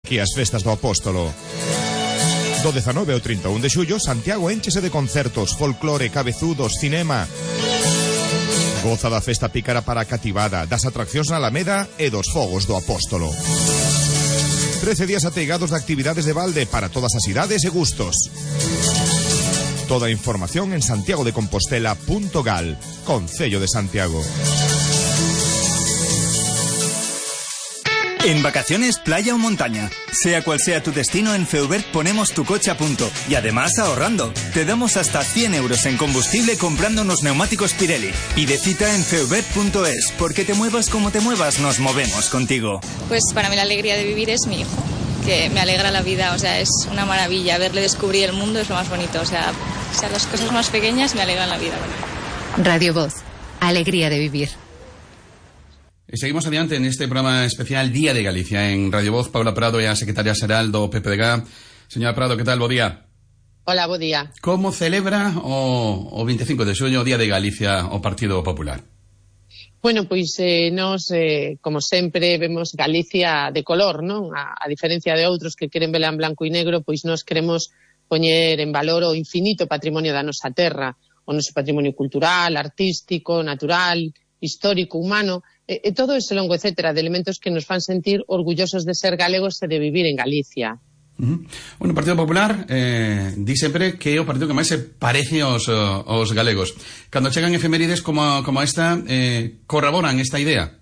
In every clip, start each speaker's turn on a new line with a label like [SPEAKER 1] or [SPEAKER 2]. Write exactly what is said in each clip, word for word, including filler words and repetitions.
[SPEAKER 1] que as festas do Apóstolo. Do dezanove ao trinta e un de xullo, Santiago énchese de concertos, folclore, cabezudos, cinema. Goza da festa pícara para a cativada, das atraccións na Alameda e dos fogos do Apóstolo. trece días ateigados de actividades de balde para todas as idades e gustos. Toda a información en santiago de compostela punto gal, Concello de Santiago.
[SPEAKER 2] En vacaciones, playa o montaña. Sea cual sea tu destino, en Feubert ponemos tu coche a punto. Y además ahorrando. Te damos hasta cien euros en combustible comprando unos neumáticos Pirelli. Pide cita en feubert punto es, porque te muevas como te muevas, nos movemos contigo.
[SPEAKER 3] Pues para mí la alegría de vivir es mi hijo, que me alegra la vida, o sea, es una maravilla. Verle descubrir el mundo es lo más bonito, o sea, o sea las cosas más pequeñas me alegran la vida.
[SPEAKER 4] Radio Voz, alegría de vivir.
[SPEAKER 5] Seguimos adiante en este programa especial Día de Galicia en Radio Voz. Paula Prado é a secretaria xeral do P P D G. Señora Prado, que tal? Bo día.
[SPEAKER 6] Hola, bo día.
[SPEAKER 5] Como celebra o, o veinticinco de xullo o Día de Galicia o Partido Popular?
[SPEAKER 6] Bueno, pois eh, nos, eh, como sempre, vemos Galicia de color, non? A, a diferencia de outros que queren vela en blanco e negro, pois nos queremos poñer en valor o infinito patrimonio da nosa terra, o noso patrimonio cultural, artístico, natural, histórico, humano, e, e todo ese longo etcétera de elementos que nos fan sentir orgullosos de ser galegos e de vivir en Galicia.
[SPEAKER 5] Uh-huh. Bueno, o Partido Popular eh, di sempre que é o partido que máis se parece aos, aos galegos. Cando chegan efemérides como, como esta, eh, corroboran esta idea?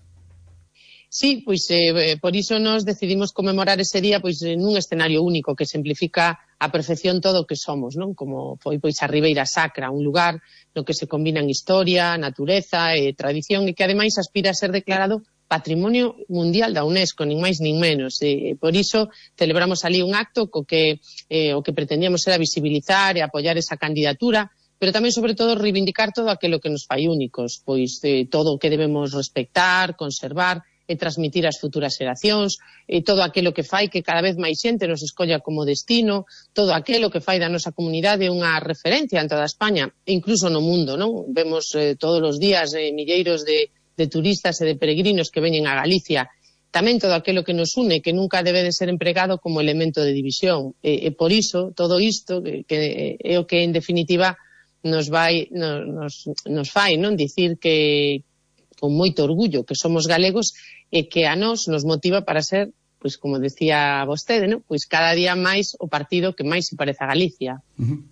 [SPEAKER 6] Sí, pois eh, por iso nos decidimos conmemorar ese día pois nun escenario único que simplifica a perfección todo o que somos, non? Como foi pois a Ribeira Sacra, un lugar no que se combinan historia, natureza e tradición e que ademais aspira a ser declarado Patrimonio Mundial da UNESCO, nin máis nin menos. E por iso celebramos ali un acto co que eh, o que pretendíamos era visibilizar e apoiar esa candidatura, pero tamén, sobre todo, reivindicar todo aquilo que nos fai únicos, pois eh, todo o que debemos respectar, conservar e transmitir ás futuras xeracións, e todo aquilo que fai que cada vez máis xente nos escolla como destino, todo aquilo que fai da nosa comunidade unha referencia en toda España, e incluso no mundo, non? Vemos eh, todos os días eh, milleiros de, de turistas e de peregrinos que veñen a Galicia. Tamén todo aquilo que nos une, que nunca debe de ser empregado como elemento de división. E, e por iso, todo isto, que, que é o que en definitiva nos vai, nos, nos fai, non? Dicir que con moito orgullo que somos galegos e que a nós nos motiva para ser, pois como decía vostede, non? Pois cada día máis o partido que máis se parece a Galicia.
[SPEAKER 5] Uh-huh.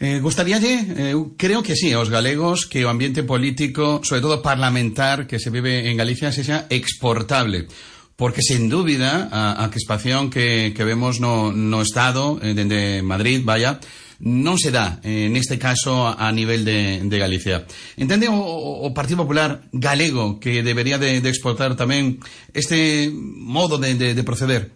[SPEAKER 5] Eh, gustaríalle, eh, creo que sí, aos galegos, que o ambiente político, sobre todo parlamentar, que se vive en Galicia, sexa exportable. Porque, sen dúbida, a, a crispación que, que vemos no, no Estado, eh, dende Madrid, vaya, non se dá, eh, neste caso, a, a nivel de, de Galicia. Entende o, o Partido Popular galego que debería de, de exportar tamén este modo de, de, de proceder?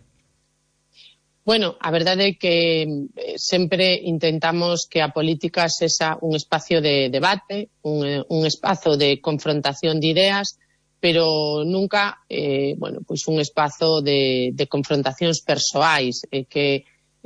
[SPEAKER 6] Bueno, a verdade é que eh, sempre intentamos que a política sexa un espacio de debate, un, un espazo de confrontación de ideas, pero nunca, eh, bueno, pois un espazo de, de confrontacións persoais, e eh, que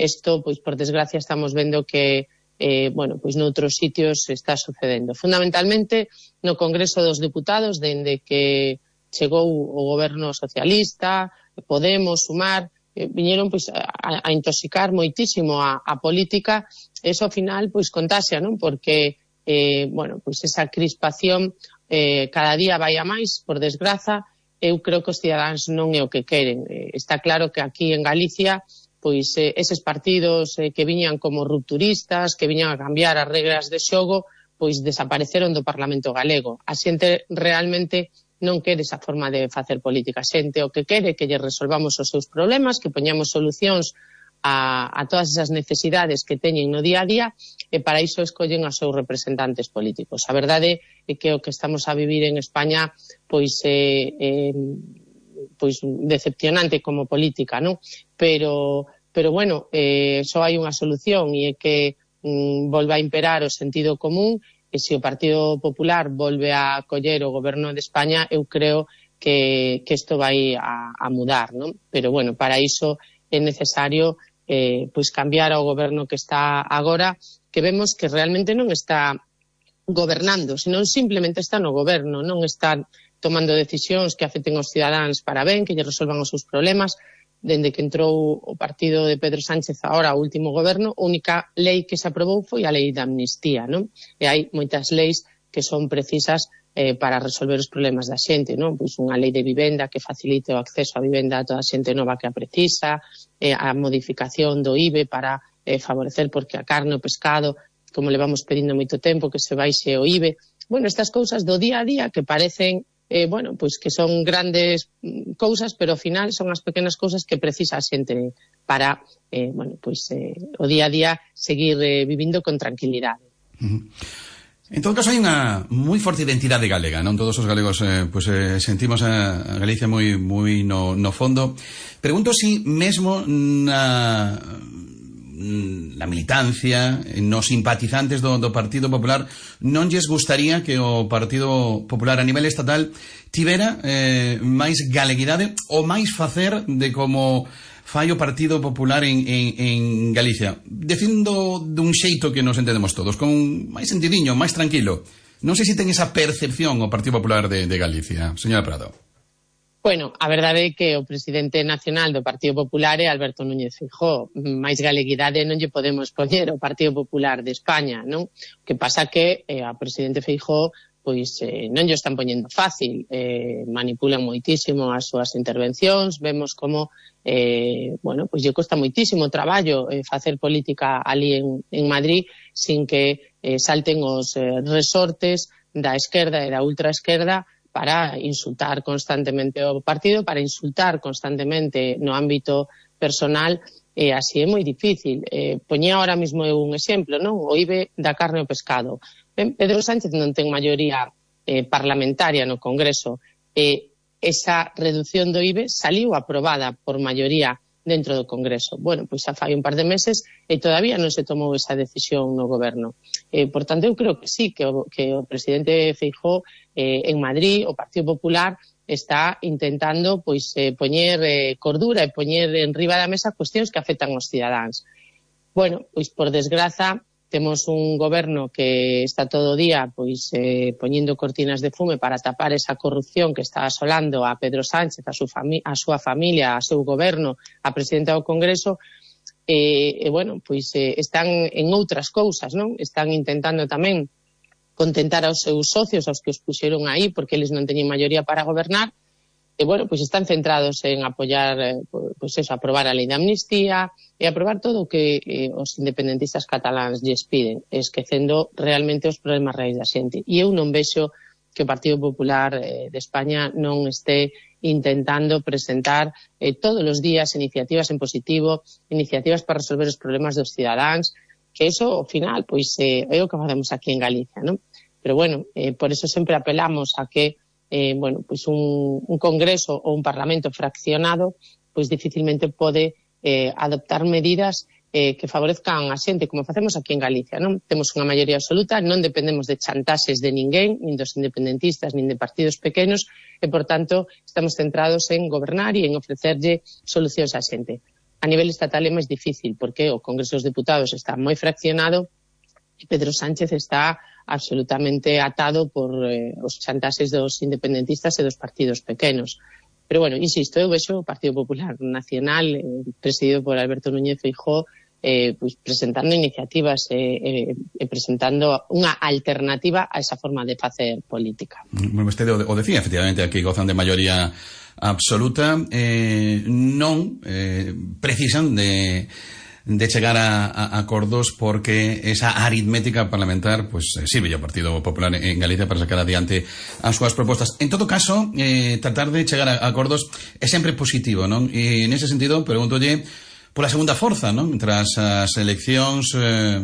[SPEAKER 6] isto, pois por desgracia, estamos vendo que, eh, bueno, pois noutros sitios está sucedendo. Fundamentalmente, no Congreso dos Deputados, dende que chegou o goberno socialista, Podemos, Sumar, eh, viñeron pois a, a intoxicar moitísimo a, a política, eso ao final pois contaxia, non? Porque, eh, bueno, pois esa crispación eh, cada día vai a máis, por desgraza. Eu creo que os cidadáns non é o que queren. Eh, está claro que aquí en Galicia pois eh, eses partidos eh, que viñan como rupturistas, que viñan a cambiar as regras de xogo, pois desapareceron do Parlamento galego. A xente realmente non quere esa forma de facer política. A xente o que quere que lle resolvamos os seus problemas, que poñamos solucións a, a todas esas necesidades que teñen no día a día, e para iso escollen os seus representantes políticos. A verdade é que o que estamos a vivir en España pois é... Eh, eh, pois decepcionante como política, non? Pero, pero bueno, eh, só hai unha solución, e é que mm, volva a imperar o sentido común, e se o Partido Popular volve a coller o goberno de España, eu creo que, que isto vai a, a mudar, non? Pero bueno, para iso é necesario eh, pois cambiar ao goberno que está agora, que vemos que realmente non está gobernando, senón simplemente está no goberno, non está tomando decisións que afecten aos cidadáns para ben, que lle resolvan os seus problemas, dende que entrou o partido de Pedro Sánchez agora ao último goberno, a única lei que se aprobou foi a lei de amnistía, non? E hai moitas leis que son precisas eh, para resolver os problemas da xente, non? Pois unha lei de vivenda que facilite o acceso á vivenda a toda a xente nova que a precisa, eh, a modificación do I V E para eh, favorecer porque a carne o pescado, como levamos pedindo moito tempo, que se baixe o I V E. Bueno, estas cousas do día a día que parecen Eh, bueno, pois que son grandes cousas, pero ao final son as pequenas cousas que precisa a xente para, eh, bueno, pois eh, o día a día seguir eh, vivindo con tranquilidade.
[SPEAKER 5] Uh-huh. En todo caso, hai unha moi forte identidade galega, non? Todos os galegos eh, pues, eh, sentimos a Galicia moi, moi no, no fondo. Pregunto si mesmo na... na militancia, nos simpatizantes do, do Partido Popular, non lles gustaría que o Partido Popular a nivel estatal tivera eh, máis galeguidade ou máis facer de como fai o Partido Popular en, en, en Galicia, dicindo dun xeito que nos entendemos todos, con máis sentidiño, máis tranquilo. Non sei se ten esa percepción o Partido Popular de, de Galicia, señora Prado.
[SPEAKER 6] Bueno, a verdade é que o presidente nacional do Partido Popular é Alberto Núñez Feijóo. Máis galeguidade non lle podemos poñer ao Partido Popular de España, non? O que pasa que eh, a presidente Feijóo pois eh, non lle están poñendo fácil, eh, manipulan moitísimo as súas intervencións, vemos como eh, bueno, pois lle costa moitísimo traballo eh, facer política ali en, en Madrid sin que eh, salten os eh, resortes da esquerda e da ultraesquerda para insultar constantemente o partido, para insultar constantemente no ámbito personal, e así é moi difícil. Eh, poñía ahora mismo un exemplo, non? O I V E da carne ao pescado. Ben, Pedro Sánchez non ten maioría eh, parlamentaria no Congreso, e esa reducción do I V E saliu aprobada por maioría dentro do Congreso. Bueno, pois xa fai un par de meses e todavía non se tomou esa decisión no goberno. Eh, por tanto, eu creo que sí, que o, que o presidente Feijóo eh, en Madrid, o Partido Popular, está intentando pois eh, poñer eh, cordura e poñer en riba da mesa cuestións que afectan aos cidadáns. Bueno, pois por desgraza, temos un goberno que está todo o día pois eh, poñendo cortinas de fume para tapar esa corrupción que está asolando a Pedro Sánchez, a, su fami- a súa familia, a seu goberno, a presidenta do Congreso, e, e bueno, pois eh, están en outras cousas, non? Están intentando tamén contentar aos seus socios, aos que os puxeron aí, porque eles non teñen maioría para gobernar, e, bueno, pois están centrados en apoiar, eh, pois eso, aprobar a lei de amnistía e aprobar todo o que eh, os independentistas cataláns lles piden, esquecendo realmente os problemas reais da xente. E eu non vexo que o Partido Popular eh, de España non este intentando presentar eh, todos os días iniciativas en positivo, iniciativas para resolver os problemas dos cidadáns, que eso, ao final, pois eh, é o que facemos aquí en Galicia, non? Pero, bueno, eh, por eso sempre apelamos a que Eh, bueno, pois un, un congreso ou un parlamento fraccionado pois dificilmente pode eh, adoptar medidas eh, que favorezcan a xente, como facemos aquí en Galicia, non? Temos unha maioría absoluta, non dependemos de chantaxes de ninguén, nin dos independentistas, nin de partidos pequenos, e, por tanto, estamos centrados en gobernar e en ofrecerlle solucións á xente. A nivel estatal é máis difícil, porque o Congreso dos Deputados está moi fraccionado e Pedro Sánchez está absolutamente atado por eh, os chantaxes dos independentistas e dos partidos pequenos. Pero, bueno, insisto, eu vexo o Partido Popular Nacional, eh, presidido por Alberto Núñez Feijóo, eh, pues, presentando iniciativas e eh, eh, presentando unha alternativa a esa forma de facer política.
[SPEAKER 5] Bueno, vostede o decía, efectivamente, aquí gozan de maioría absoluta, eh, non eh, precisan de de chegar a, a acordos porque esa aritmética parlamentar pues eh, sirve ao Partido Popular en Galicia para sacar adiante as súas propostas. En todo caso, eh, tratar de chegar a acordos é sempre positivo, non? E nese sentido, pregúntolle pola segunda forza, non? Tras as eleccións, eh,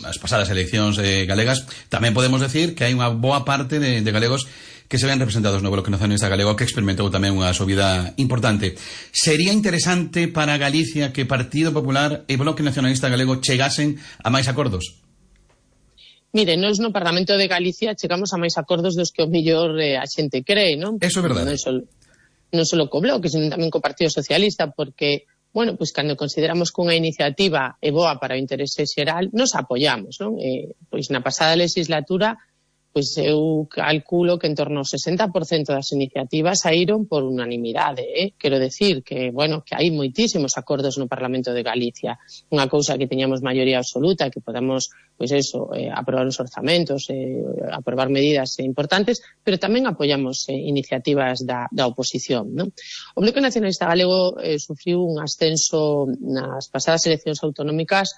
[SPEAKER 5] as pasadas eleccións eh, galegas, tamén podemos decir que hai unha boa parte de, de galegos que se ven representados no Bloque Nacionalista Galego, que experimentou tamén unha subida importante. Sería interesante para Galicia que Partido Popular e Bloque Nacionalista Galego chegasen a máis acordos?
[SPEAKER 6] Mire, nós no Parlamento de Galicia chegamos a máis acordos dos que o mellor eh, a xente cree, non?
[SPEAKER 5] Eso é verdade.
[SPEAKER 6] Non só, non só co Bloque, sino tamén co Partido Socialista, porque, bueno, pois cando consideramos que unha iniciativa é boa para o interese xeral, nos apoiamos, non? Eh, pois na pasada legislatura pois eu calculo que en torno ao sesenta por cento das iniciativas saíron por unanimidade, eh? Quero decir que, bueno, que hai moitísimos acordos no Parlamento de Galicia. Unha cousa que teñamos maioría absoluta, que podamos, pois eso, eh, aprobar os orzamentos, eh, aprobar medidas eh, importantes, pero tamén apoiamos eh, iniciativas da, da oposición, non? O Bloque Nacionalista Galego eh, sufriu un ascenso nas pasadas eleccións autonómicas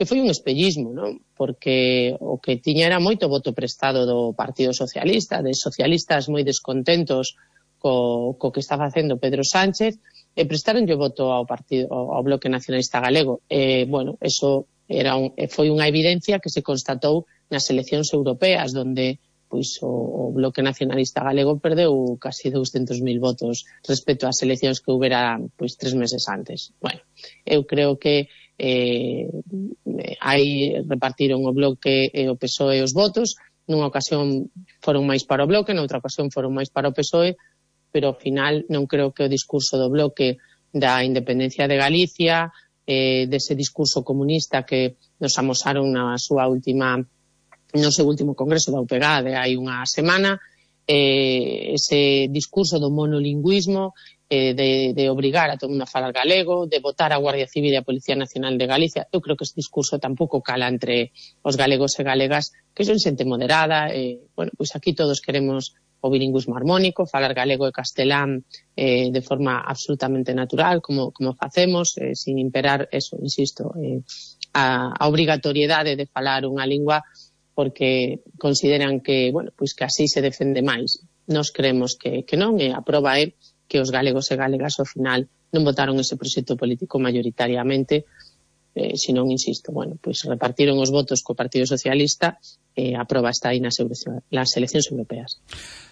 [SPEAKER 6] que foi un espellismo, non? Porque o que tiña era moito voto prestado do Partido Socialista, de socialistas moi descontentos co, co que está facendo Pedro Sánchez, e prestaronlle voto ao partido ao Bloque Nacionalista Galego. E, bueno, eso era un, foi unha evidencia que se constatou nas eleccións europeas, donde pois o, o Bloque Nacionalista Galego perdeu casi douscentos mil votos respecto ás eleccións que houbera pois tres meses antes. Bueno, eu creo que eh, aí repartiron o Bloque e o P S O E os votos, nunha ocasión foron máis para o Bloque, noutra ocasión foron máis para o P S O E, pero ao final non creo que o discurso do Bloque da independencia de Galicia, eh, dese discurso comunista que nos amosaron na súa última, no seu último congreso da U P G A de hai unha semana, eh, ese discurso do monolingüismo, eh, de, de obrigar a todo mundo a falar galego, de votar a Guardia Civil e a Policía Nacional de Galicia. Eu creo que ese discurso tampouco cala entre os galegos e galegas, que son xente moderada. Eh, bueno, pois aquí todos queremos o bilingüismo armónico, falar galego e castelán eh, de forma absolutamente natural, como, como facemos, eh, sin imperar, eso, insisto, eh, a, a obrigatoriedade de falar unha lingua porque consideran que, bueno, pois que así se defende máis. Nos creemos que, que non, e a proba é que os galegos e galegas ao final non votaron ese proxecto político maioritariamente, eh, senón, insisto, bueno, pois repartiron os votos co Partido Socialista e a proba está aí nas, nas eleccións europeas.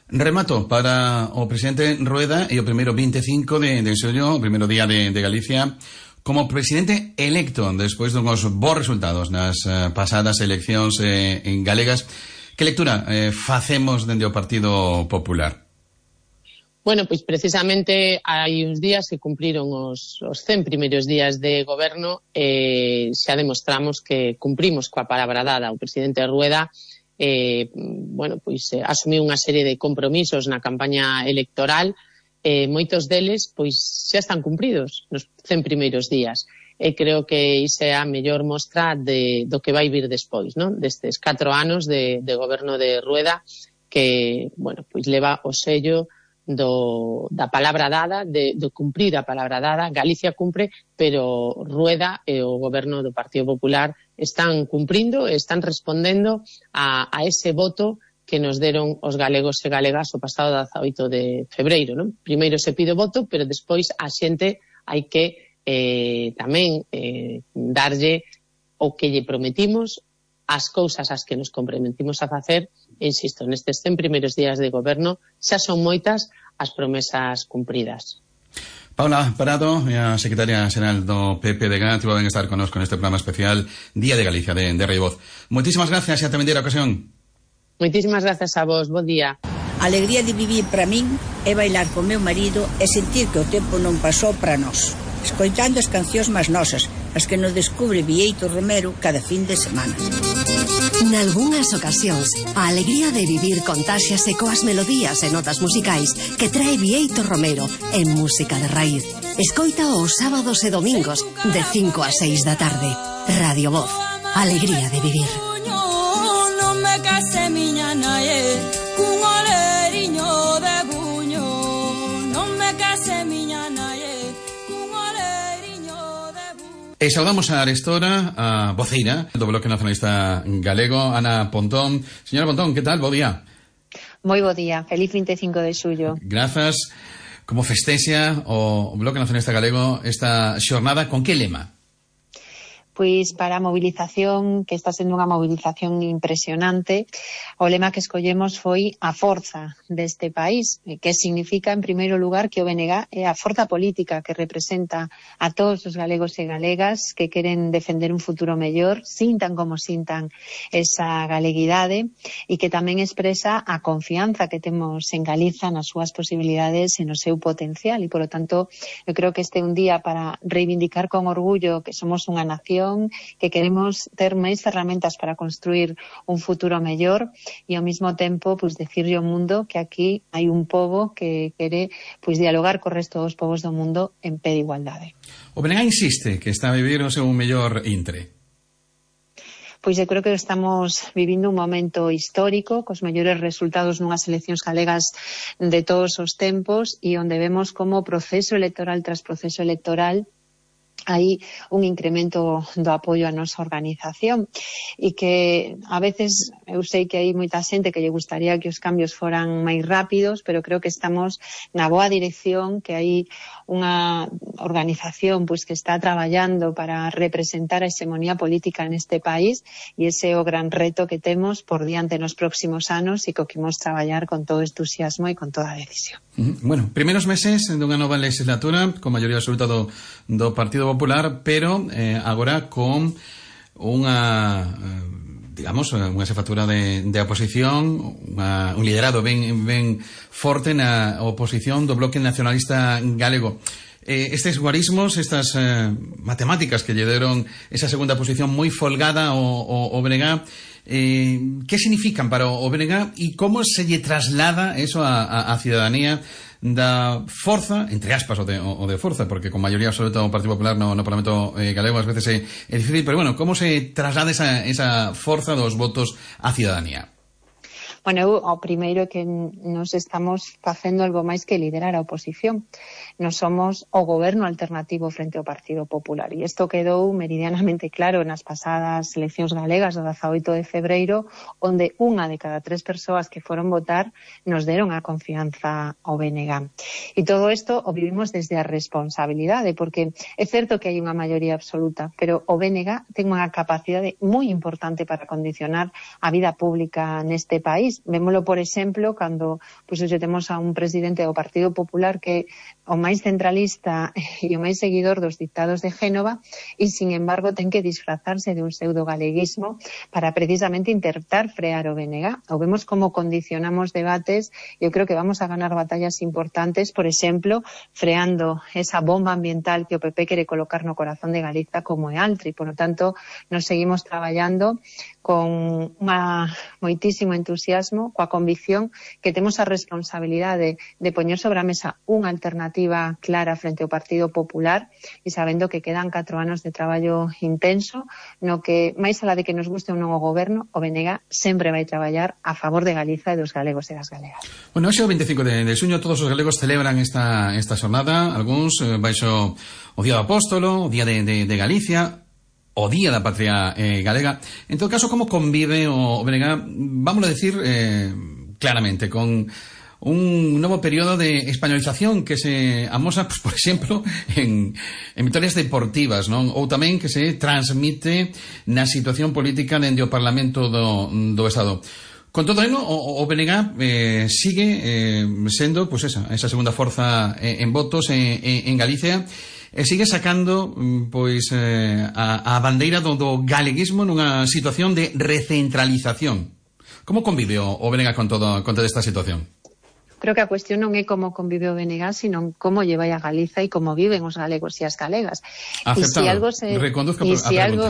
[SPEAKER 5] Remato para o presidente Rueda e o primeiro vinte e cinco de, de xullo, o primeiro día de, de Galicia, como presidente electo despois dunhos bons resultados nas uh, pasadas eleccións eh, en galegas. Que lectura eh, facemos dende o Partido Popular?
[SPEAKER 6] Bueno, pois precisamente hai uns días que cumpriron os, os cen primeiros días de goberno e xa demostramos que cumprimos coa palabra dada. O presidente Rueda eh, bueno, pois, eh, asumiu unha serie de compromisos na campaña electoral, e eh, moitos deles pois xa están cumpridos nos cen primeiros días. E creo que iso é a mellor mostra de, do que vai vir despois, non? Destes catro anos de, de goberno de Rueda, que, bueno, pois leva o sello do, da palabra dada, de, de cumprir a palabra dada. Galicia cumpre, pero Rueda e o goberno do Partido Popular están cumprindo, están respondendo a, a ese voto que nos deron os galegos e galegas o pasado dezaoito de febreiro, non? Primeiro se pide o voto, pero despois a xente hai que eh, tamén eh, darlle o que lle prometimos, as cousas as que nos comprometimos a facer. Insisto, nestes cen primeiros días de goberno xa son moitas as promesas cumpridas.
[SPEAKER 5] Paula Parado, a secretaria xeral do P P D G, tivo ben estar connosco neste programa especial Día de Galicia de, de Radio Voz. Moitísimas gracias e ata vendera ocasión.
[SPEAKER 6] Moitísimas gracias a vos, bo día.
[SPEAKER 7] A alegría de vivir para min é bailar con meu marido e sentir que o tempo non pasou para nós, escoitando as cancións máis nosas, as que nos descubre Bieito Romero cada fin de semana.
[SPEAKER 8] Nalgúnas ocasións, a alegría de vivir contáxiase coas melodías e notas musicais que trae Bieito Romero en música de raíz. Escoita os sábados e domingos de cinco a seis da tarde. Radio Voz, alegría de vivir.
[SPEAKER 9] Non me case miña nae, cun oleriño de buño. Non me case miña nae, cun oleriño de buño.
[SPEAKER 5] E saudamos a arestora, a voceira do Bloque Nacionalista Galego, Ana Pontón. Señora Pontón, que tal? Bo día.
[SPEAKER 10] Moi bo día, feliz vinte e cinco de xullo.
[SPEAKER 5] Grazas. Como festexa o Bloque Nacionalista Galego esta xornada, con que lema?
[SPEAKER 10] Pois para a movilización, que está sendo unha movilización impresionante, o lema que escollemos foi a forza deste país, que significa, en primeiro lugar, que o B N G é a forza política que representa a todos os galegos e galegas que queren defender un futuro mellor, sintan como sintan esa galeguidade, e que tamén expresa a confianza que temos en Galiza nas súas posibilidades e no seu potencial, e, por lo tanto, eu creo que este é un día para reivindicar con orgullo que somos unha nación ilusión, que queremos ter máis ferramentas para construir un futuro mellor e ao mesmo tempo pois decirlle ao mundo que aquí hai un pobo que quere pois dialogar co resto dos povos do mundo en pé de igualdade.
[SPEAKER 5] O B N G insiste que está a vivir o seu mellor intre.
[SPEAKER 10] Pois eu creo que estamos vivindo un momento histórico, cos mellores resultados nunhas eleccións galegas de todos os tempos e onde vemos como proceso electoral tras proceso electoral hai un incremento do apoio á nosa organización e que a veces eu sei que hai moita xente que lle gustaría que os cambios foran máis rápidos, pero creo que estamos na boa dirección, que hai unha organización pois que está traballando para representar a hexemonía política neste país e ese é o gran reto que temos por diante nos próximos anos e co que imos traballar con todo entusiasmo e con toda a decisión.
[SPEAKER 5] Bueno, primeiros meses dunha nova legislatura con maioría absoluta do, do Partido Popular, pero eh, agora con unha eh, digamos, unha xefatura de, de oposición, unha, un liderado ben, ben forte na oposición do Bloque Nacionalista Galego. Eh, estes guarismos, estas eh, matemáticas que lle deron esa segunda posición moi folgada ao, ao, ao B N G, eh, que significan para o B N G e como se lle traslada eso a, a, a cidadanía da forza, entre aspas, o de, o de forza, porque con maioría absoluta o Partido Popular no, no Parlamento eh, galego ás veces é, é difícil, pero bueno, como se traslada esa, esa forza dos votos á cidadanía?
[SPEAKER 10] Bueno, eu, o primeiro é que nos estamos facendo algo máis que liderar a oposición. Nos somos o goberno alternativo frente ao Partido Popular e isto quedou meridianamente claro nas pasadas eleccións galegas do dezaoito de febreiro, onde unha de cada tres persoas que foron votar nos deron a confianza ao B N G. E todo isto o vivimos desde a responsabilidade, porque é certo que hai unha maioría absoluta, pero o B N G ten unha capacidade moi importante para condicionar a vida pública neste país. Vémolo, por exemplo, cando pois, hoxe temos a un presidente do Partido Popular que o máis centralista e o máis seguidor dos dictados de Génova e, sin embargo, ten que disfrazarse de un pseudo-galeguismo para precisamente intentar frear o B N G. O vemos como condicionamos debates. Eu creo que vamos a ganar batallas importantes, por exemplo, freando esa bomba ambiental que o P P quere colocar no corazón de Galiza como é Altri. Por lo tanto, nos seguimos traballando con unha moitísimo entusiasmo, coa convicción que temos a responsabilidade de poñer sobre a mesa unha alternativa clara frente ao Partido Popular e sabendo que quedan catro anos de traballo intenso no que, máis alá de que nos guste un novo goberno, o B N G sempre vai traballar a favor de Galiza e dos galegos e das galegas.
[SPEAKER 5] Bueno, hoxe o veinticinco de, de xuño todos os galegos celebran esta, esta xornada, algúns eh, baixo o Día do Apóstolo, o Día de, de, de Galicia, o Día da Patria eh, Galega. En todo caso, como convive o B N G, vamos a decir eh, claramente, con un novo período de españolización que se amosa, pues, por exemplo, en, en vitorias deportivas, non? Ou tamén que se transmite na situación política dende o Parlamento do, do Estado. Con todo eso, o, o B N G eh, sigue eh, sendo pues esa, esa segunda forza eh, en votos en, en, en Galicia e sigue sacando pois eh, a, a bandeira do, do galeguismo nunha situación de recentralización. Como convive o, o B N G con, todo, con toda esta situación?
[SPEAKER 10] Creo que a cuestión non é como convive o B N G, sino como lle vai a Galiza e como viven os galegos e as galegas. E se algo se e se algo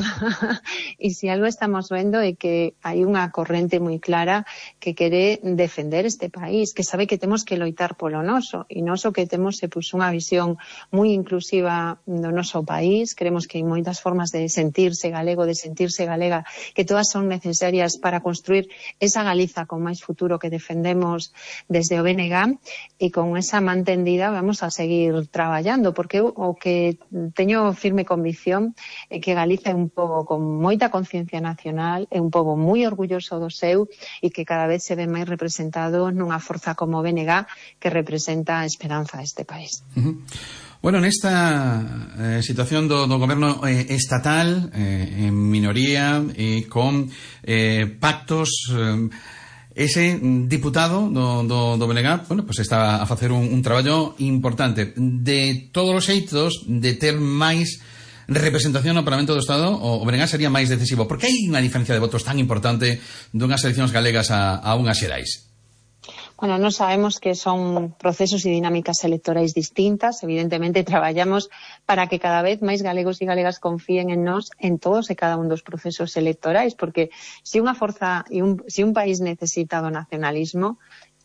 [SPEAKER 10] e se algo estamos vendo é que hai unha corrente moi clara que quere defender este país, que sabe que temos que loitar polo noso, e noso que temos é pois unha visión moi inclusiva do noso país. Creemos que hai moitas formas de sentirse galego, de sentirse galega, que todas son necesarias para construir esa Galiza con máis futuro que defendemos desde o B N G. E con esa man tendida vamos a seguir traballando, porque o que teño firme convicción é que Galiza é un pobo con moita conciencia nacional, é un pobo moi orgulloso do seu e que cada vez se ve máis representado nunha forza como o B N G que representa a esperanza deste país.
[SPEAKER 5] Uh-huh. Bueno, nesta eh, situación do, do goberno eh, estatal eh, en minoría e eh, con eh, pactos eh, ese diputado do, do, do B N G, bueno, pues está a facer un, un traballo importante. De todos os xeitos, de ter máis representación no Parlamento do Estado, o B N G sería máis decisivo. Porque hai unha diferencia de votos tan importante dunhas eleccións galegas a, a unhas xerais?
[SPEAKER 10] Bueno, non sabemos que son procesos e dinámicas electorais distintas. Evidentemente, traballamos para que cada vez máis galegos e galegas confíen en nós en todos e cada un dos procesos electorais, porque se unha forza e un, se un país necesita do nacionalismo,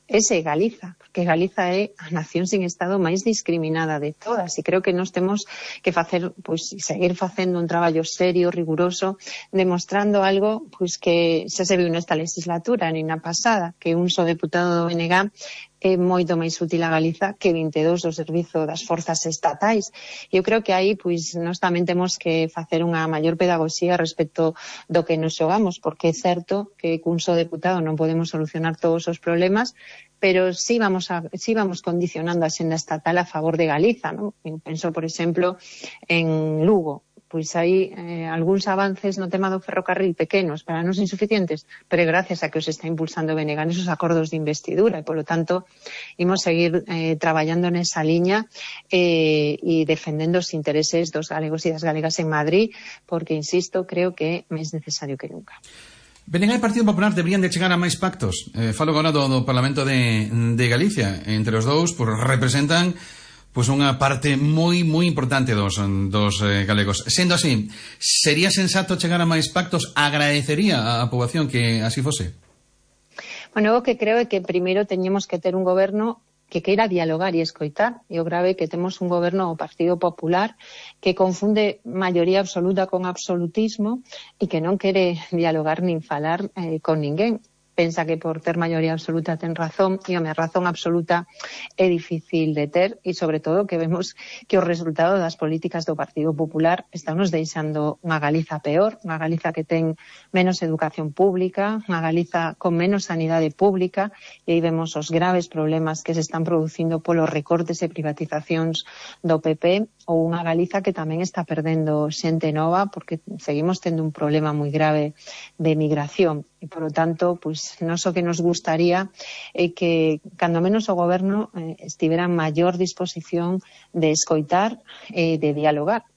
[SPEAKER 10] ese é Galiza, porque Galiza é a nación sin Estado máis discriminada de todas, e creo que nós temos que facer, pois, seguir facendo un traballo serio, riguroso, demostrando algo pois que xa se viu nesta legislatura, nin na pasada, que un só deputado do B N G é moito máis útil a Galiza que vinte e dous do servizo das forzas estatais. Eu creo que aí, pois, nós tamén temos que facer unha maior pedagogía respecto do que nos xogamos, porque é certo que cun só deputado non podemos solucionar todos os problemas, pero sí vamos a, sí vamos condicionando a xenda estatal a favor de Galiza, ¿no? Eu penso, por exemplo, en Lugo. Pois hai eh, algúns avances no tema do ferrocarril pequenos, para nós insuficientes, pero gracias a que os está impulsando o B N G nesos acordos de investidura, e, polo tanto, imos seguir eh, traballando nesa liña eh, e defendendo os intereses dos galegos e das galegas en Madrid, porque, insisto, creo que é máis necesario que nunca.
[SPEAKER 5] B N G e Partido Popular deberían de chegar a máis pactos. Eh, falo agora do, do Parlamento de, de Galicia. Entre os dous, pues, representan pois unha parte moi, moi importante dos, dos eh, galegos. Sendo así, sería sensato chegar a máis pactos? Agradecería á poboación que así fose?
[SPEAKER 10] Bueno, o que creo é que primeiro teñemos que ter un goberno que queira dialogar e escoitar. E o grave é que temos un goberno, o Partido Popular, que confunde maioría absoluta con absolutismo e que non quere dialogar nin falar eh, con ninguén. Pensa que por ter maioría absoluta ten razón, e a razón absoluta é difícil de ter, e sobre todo que vemos que o resultado das políticas do Partido Popular están nos deixando unha Galiza peor, unha Galiza que ten menos educación pública, unha Galiza con menos sanidade pública, e aí vemos os graves problemas que se están producindo polos recortes e privatizacións do P P, ou unha Galiza que tamén está perdendo xente nova, porque seguimos tendo un problema moi grave de migración. E, por lo tanto, pois, non só que nos gustaría é que, cando menos o goberno eh, estivera en maior disposición de escoitar e eh, de dialogar.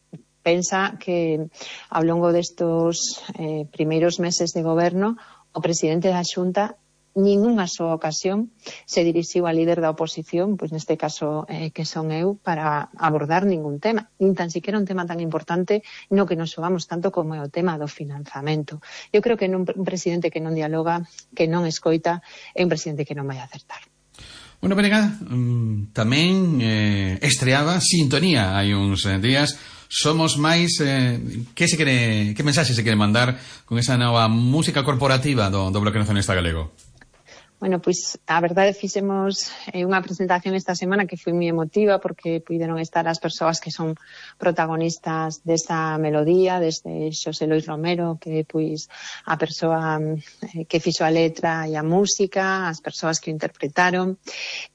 [SPEAKER 10] Pensa que, ao longo destos eh, primeiros meses de goberno, o presidente da Xunta ningunha súa ocasión se dirixiu ao líder da oposición, pois neste caso eh, que son eu, para abordar ningún tema, nin tan siquiera un tema tan importante no que nos xogamos tanto como é o tema do financiamento. Eu creo que non, un presidente que non dialoga, que non escoita, é un presidente que non vai acertar.
[SPEAKER 5] Bueno, Benega, um, tamén eh, estreaba Sintonía hai uns eh, días. Somos máis, eh, que se quere, que mensaxe se quere mandar con esa nova música corporativa do, do Bloque Nacionalista Galego?
[SPEAKER 10] Bueno, pois a verdade fixemos eh, unha presentación esta semana que foi moi emotiva porque puideron estar as persoas que son protagonistas desta melodía, desde Xosé Lois Romero, que pois a persoa eh, que fixo a letra e a música, as persoas que o interpretaron,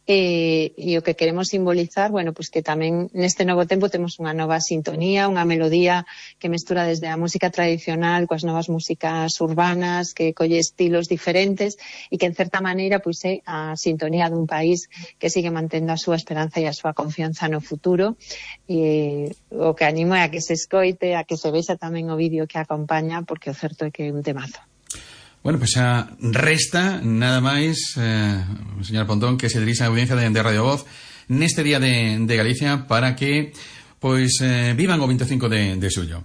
[SPEAKER 10] e, e o que queremos simbolizar, bueno, pois que tamén neste novo tempo temos unha nova sintonía, unha melodía que mestura desde a música tradicional coas novas músicas urbanas, que colle estilos diferentes e que en certa maneira pois é a sintonía dun país que sigue mantendo a súa esperanza e a súa confianza no futuro, e o que animo é a que se escoite, a que se vexa tamén o vídeo que acompaña, porque o certo é que é un temazo.
[SPEAKER 5] Bueno, pois pues xa resta nada máis, eh, señor Pontón, que se dirixa a audiencia de, de Radio Voz neste día de, de Galicia para que pois eh, vivan o vinte e cinco de, de xullo.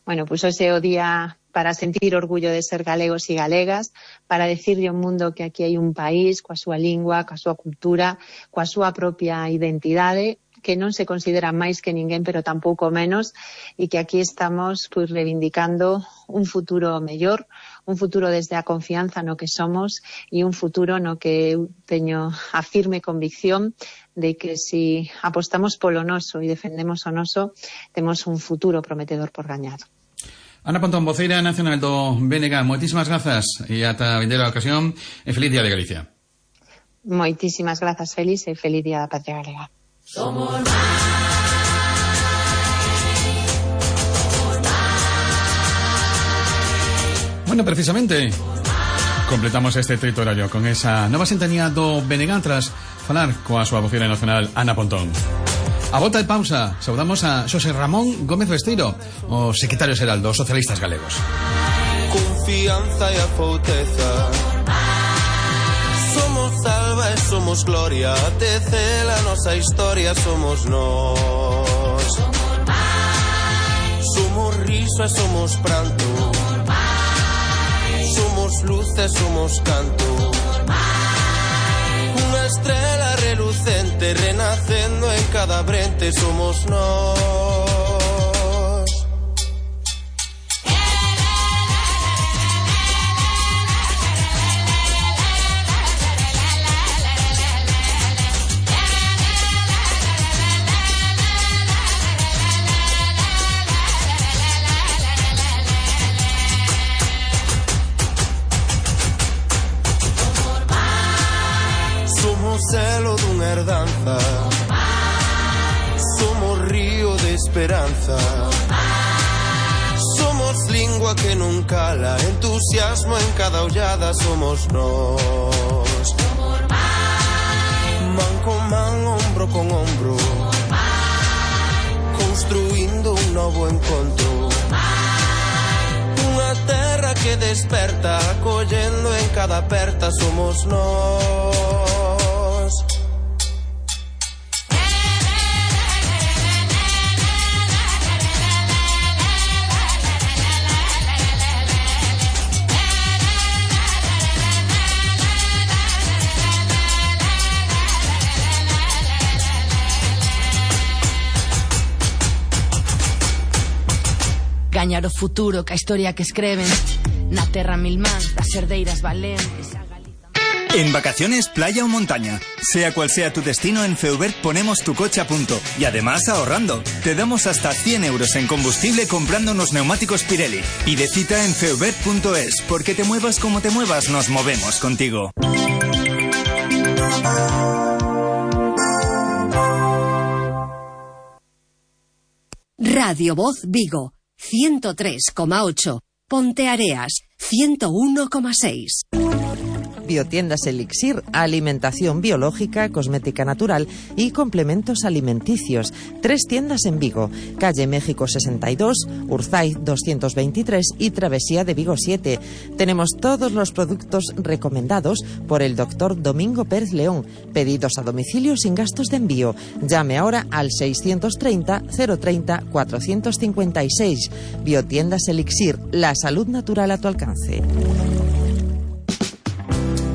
[SPEAKER 10] Bueno, pois pues hoxe é o día para sentir orgullo de ser galegos e galegas, para decirle ao mundo que aquí hai un país coa súa lingua, coa súa cultura, coa súa propia identidade, que non se considera máis que ninguén, pero tampouco menos, e que aquí estamos pois reivindicando un futuro mellor, un futuro desde a confianza no que somos e un futuro no que eu teño a firme convicción de que si apostamos polo noso e defendemos o noso, temos un futuro prometedor por gañar.
[SPEAKER 5] Ana Pontón, voceira nacional do B N G, moitísimas grazas e ata a vindeira ocasión e feliz día de Galicia.
[SPEAKER 10] Moitísimas grazas, Félix, e feliz día da Patria Galega.
[SPEAKER 9] Somos máis, somos máis.
[SPEAKER 5] Bueno, precisamente completamos este territorio con esa nova sintonía do B N G tras falar coa súa voceira nacional Ana Pontón. A volta de pausa, saudamos a Xosé Ramón Gómez Besteiro, o secretario xeral dos socialistas galegos.
[SPEAKER 11] Confianza e a fouteza Somos alba e somos gloria, te cela a nosa historia, somos nós. Somos máis. Somos riso e somos pranto. Somos máis. Somos luz e somos canto. Somos máis. Unha estrela relucente renacendo en cada brente, somos nós. Celo dunha herdanza, somos río de esperanza, somos lingua que non cala, entusiasmo en cada ollada, somos nós. Man con man, hombro con hombro, construindo un novo encontro, unha terra que desperta, acollendo en cada aperta, somos nós.
[SPEAKER 12] Gañar o futuro ca historia que escriben na terra mil mans das herdeiras valentes.
[SPEAKER 2] En vacaciones, playa o montaña. Sea cual sea tu destino, en Feubert ponemos tu coche a punto. Y además ahorrando. Te damos hasta cien euros en combustible comprando unos neumáticos Pirelli. Pide cita en feubert punto es. Porque te muevas como te muevas, nos movemos contigo.
[SPEAKER 8] Radio Voz Vigo, ciento tres coma ocho. Ponteareas, ciento uno coma seis.
[SPEAKER 13] Biotiendas Elixir, alimentación biológica, cosmética natural y complementos alimenticios. Tres tiendas en Vigo, calle México sesenta y dos, Urzay doscientos veintitrés y Travesía de Vigo siete. Tenemos todos los productos recomendados por el doctor Domingo Pérez León. Pedidos a domicilio sin gastos de envío. Llame ahora al seiscientos treinta, cero treinta, cuatrocientos cincuenta y seis. Biotiendas Elixir, la salud natural a tu alcance.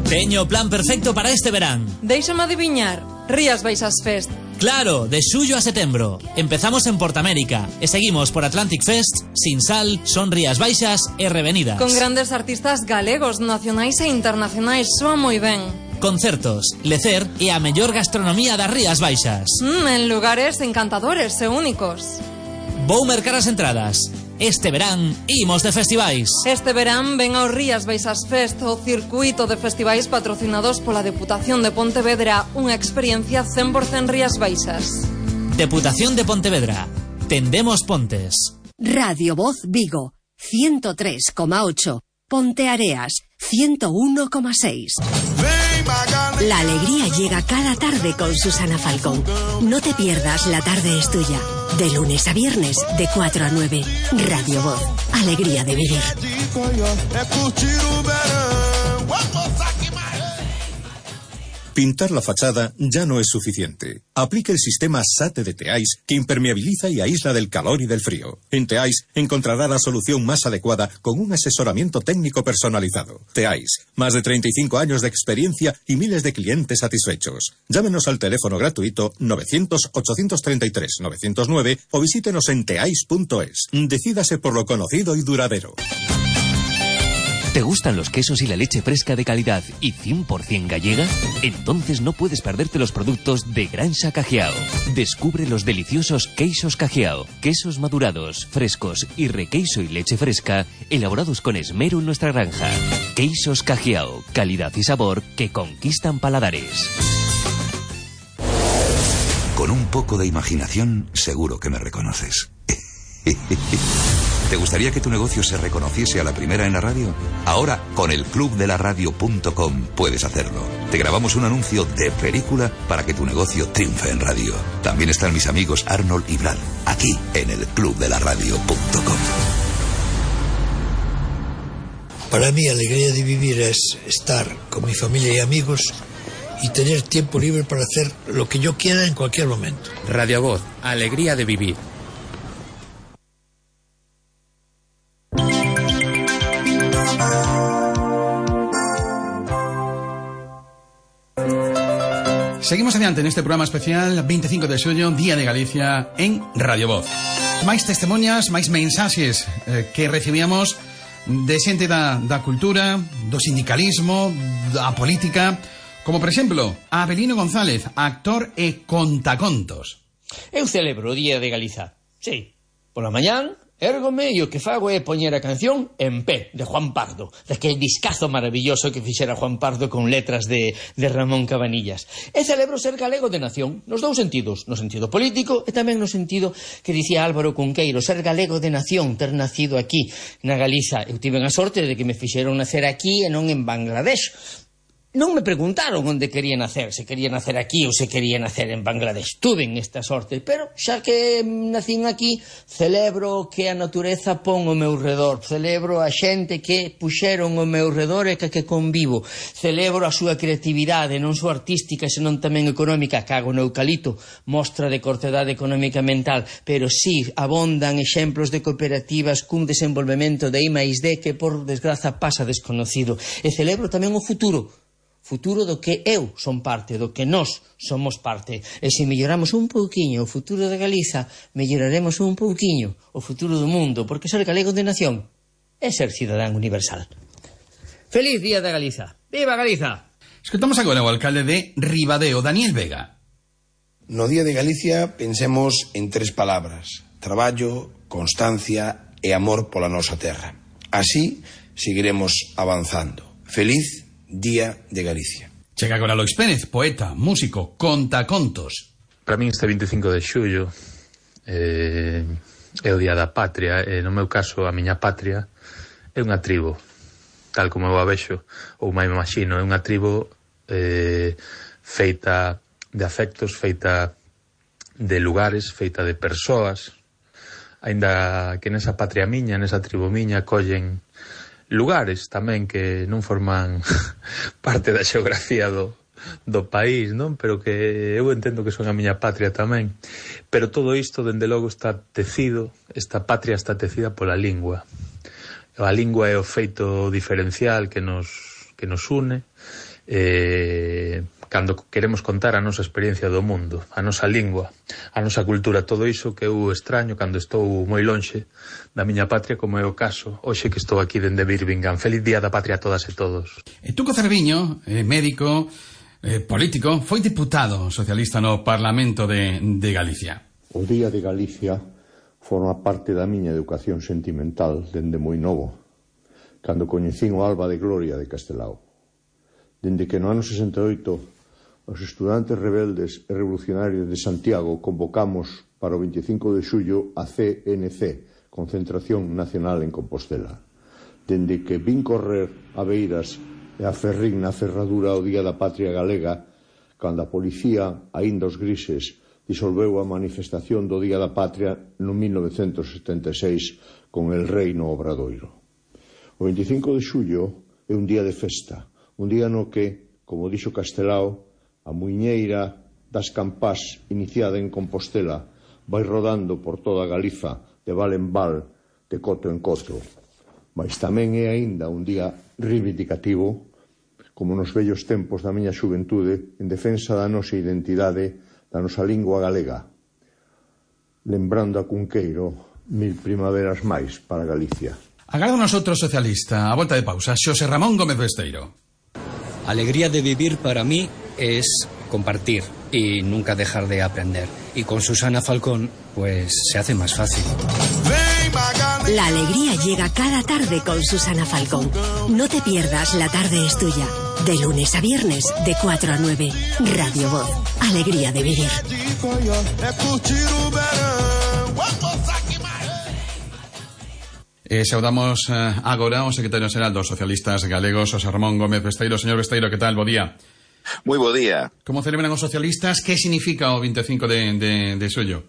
[SPEAKER 14] Teño o plan perfecto para este verán.
[SPEAKER 15] Déixame adiviñar, Rías Baixas Fest.
[SPEAKER 14] Claro, de xullo a setembro. Empezamos en Portamérica e seguimos por Atlantic Fest, Sinsal, Son Rías Baixas e Revenidas.
[SPEAKER 15] Con grandes artistas galegos, nacionais e internacionais, soa moi ben.
[SPEAKER 14] Concertos, lecer e a mellor gastronomía das Rías Baixas.
[SPEAKER 15] Mm, en lugares encantadores e únicos.
[SPEAKER 14] Vou mercar as entradas. Este verán, imos de festivais.
[SPEAKER 15] Este verán ven ao Rías Baixas Fest, o circuito de festivais patrocinados pola Deputación de Pontevedra, unha experiencia cen por cen Rías Baixas.
[SPEAKER 14] Deputación de Pontevedra. Tendemos pontes.
[SPEAKER 8] Radio Voz Vigo, ciento tres coma ocho. Ponteareas, ciento uno coma seis. La alegría llega cada tarde con Susana Falcón. No te pierdas La Tarde es Tuya. De lunes a viernes, de cuatro a nueve. Radio Voz. Alegría de vivir.
[SPEAKER 16] Pintar la fachada ya no es suficiente. Aplique el sistema SATE de Teais, que impermeabiliza y aísla del calor y del frío. En Teais encontrará la solución más adecuada con un asesoramiento técnico personalizado. Teais, más de treinta y cinco años de experiencia y miles de clientes satisfechos. Llámenos al teléfono gratuito novecientos, ochocientos treinta y tres, novecientos nueve o visítenos en teais punto es. Decídase por lo conocido y duradero.
[SPEAKER 17] ¿Te gustan los quesos y la leche fresca de calidad y cien por cien gallega? Entonces no puedes perderte los productos de Granja Cajiao. Descubre los deliciosos queixos Cajiao, quesos madurados, frescos y requeiso y leche fresca, elaborados con esmero en nuestra granja. Queixos Cajiao, calidad y sabor que conquistan paladares.
[SPEAKER 18] Con un poco de imaginación, seguro que me reconoces. ¿Te gustaría que tu negocio se reconociese a la primera en la radio? Ahora, con el club de la radio punto com puedes hacerlo. Te grabamos un anuncio de película para que tu negocio triunfe en radio. También están mis amigos Arnold y Brad, aquí en el club de la radio punto com.
[SPEAKER 19] Para mí, alegría de vivir es estar con mi familia y amigos y tener tiempo libre para hacer lo que yo quiera en cualquier momento.
[SPEAKER 20] Radio Voz, alegría de vivir.
[SPEAKER 5] Seguimos adiante en este programa especial veinticinco de xullo, Día de Galicia, en Radio Voz. Máis testimonias, máis mensaxes eh, que recibíamos de xente da, da cultura, do sindicalismo, da política, como por exemplo Avelino González, actor e contacontos.
[SPEAKER 21] Eu celebro o Día de Galiza. Sí, pola mañán érgome e o que fago é poñer a canción En Pé, de Juan Pardo, daquele discazo maravilloso que fixera Juan Pardo con letras de, de Ramón Cabanillas. E celebro ser galego de nación, nos dous sentidos, no sentido político e tamén no sentido que dicía Álvaro Cunqueiro, ser galego de nación, ter nacido aquí, na Galiza. Eu tive a sorte de que me fixeron nacer aquí e non en Bangladesh. Non me preguntaron onde quería nacer, se quería nacer aquí ou se quería nacer en Bangladesh. Tuven esta sorte, pero xa que nacín aquí, celebro que a natureza pon o meu redor, celebro a xente que puxeron o meu redor e que, que convivo, celebro a súa creatividade, non só artística, senón tamén económica, cago no eucalipto, mostra de cortedade económica mental, pero sí abondan exemplos de cooperativas cun desenvolvemento de I máis D que por desgraza pasa desconocido. E celebro tamén o futuro, futuro do que eu son parte, do que nós somos parte. E se melloramos un pouquiño o futuro de Galiza, melloraremos un pouquiño o futuro do mundo, porque ser galego de nación é ser cidadán universal. Feliz Día de Galiza. Viva Galiza!
[SPEAKER 5] Escutamos agora o alcalde de Ribadeo, Daniel Vega.
[SPEAKER 22] No Día de Galicia pensemos en tres palabras: traballo, constancia e amor pola nosa terra. Así seguiremos avanzando. Feliz Día de Galicia.
[SPEAKER 5] Chega agora Lois Pérez, poeta, músico, contacontos.
[SPEAKER 23] Para min este veinticinco de xullo eh, é o Día da Patria, e no meu caso a miña patria é unha tribo, tal como eu a vexo, ou máis me imagino, é unha tribo eh, feita de afectos, feita de lugares, feita de persoas, aínda que nesa patria miña, nesa tribo miña, collen lugares tamén que non forman parte da xeografía do, do país, non? Pero que eu entendo que son a miña patria tamén. Pero todo isto, dende logo, está tecido, esta patria está tecida pola lingua. A lingua é o feito diferencial que nos, que nos une, eh, cando queremos contar a nosa experiencia do mundo, a nosa lingua, a nosa cultura, todo iso que eu extraño cando estou moi lonxe da miña patria, como é o caso hoxe que estou aquí dende Birmingham. Feliz Día da Patria a todas e todos.
[SPEAKER 5] E Tuco Cerviño, eh, médico, eh, político, foi diputado socialista no Parlamento de, de Galicia.
[SPEAKER 24] O Día de Galicia forma parte da miña educación sentimental dende moi novo, cando coñecín o Alba de Gloria de Castelao. Dende que no ano sesenta e oito os estudantes rebeldes e revolucionarios de Santiago convocamos para o veinticinco de xullo a C N C, Concentración Nacional en Compostela. Dende que vin correr a Beiras e a Ferrín na ferradura o Día da Patria Galega, cando a policía, aínda os grises, disolveu a manifestación do Día da Patria no mil novecentos setenta e seis con el rei no Obradoiro. O veinticinco de xullo é un día de festa, un día no que, como dixo Castelao, a muiñeira das campás iniciada en Compostela vai rodando por toda Galiza de val en val, de coto en coto. Mas tamén é aínda un día reivindicativo, como nos vellos tempos da miña xuventude, en defensa da nosa identidade, da nosa lingua galega, lembrando a Cunqueiro mil primaveras máis para Galicia.
[SPEAKER 5] Agarda nosotros socialista, a volta de pausa, Xosé Ramón Gómez Besteiro.
[SPEAKER 25] Alegría de vivir para mí es compartir y nunca dejar de aprender. Y con Susana Falcón, pues se hace más fácil.
[SPEAKER 8] La alegría llega cada tarde con Susana Falcón. No te pierdas La Tarde es Tuya. De lunes a viernes, de cuatro a nueve. Radio Voz. Alegría de vivir.
[SPEAKER 5] Eh, saudamos eh, agora o secretario xeral dos socialistas galegos, Xosé Ramón Gómez Besteiro. Señor Besteiro, que tal? Bo día.
[SPEAKER 26] Moi bo día.
[SPEAKER 5] Como celebran os socialistas? Que significa o veinticinco de, de, de xullo?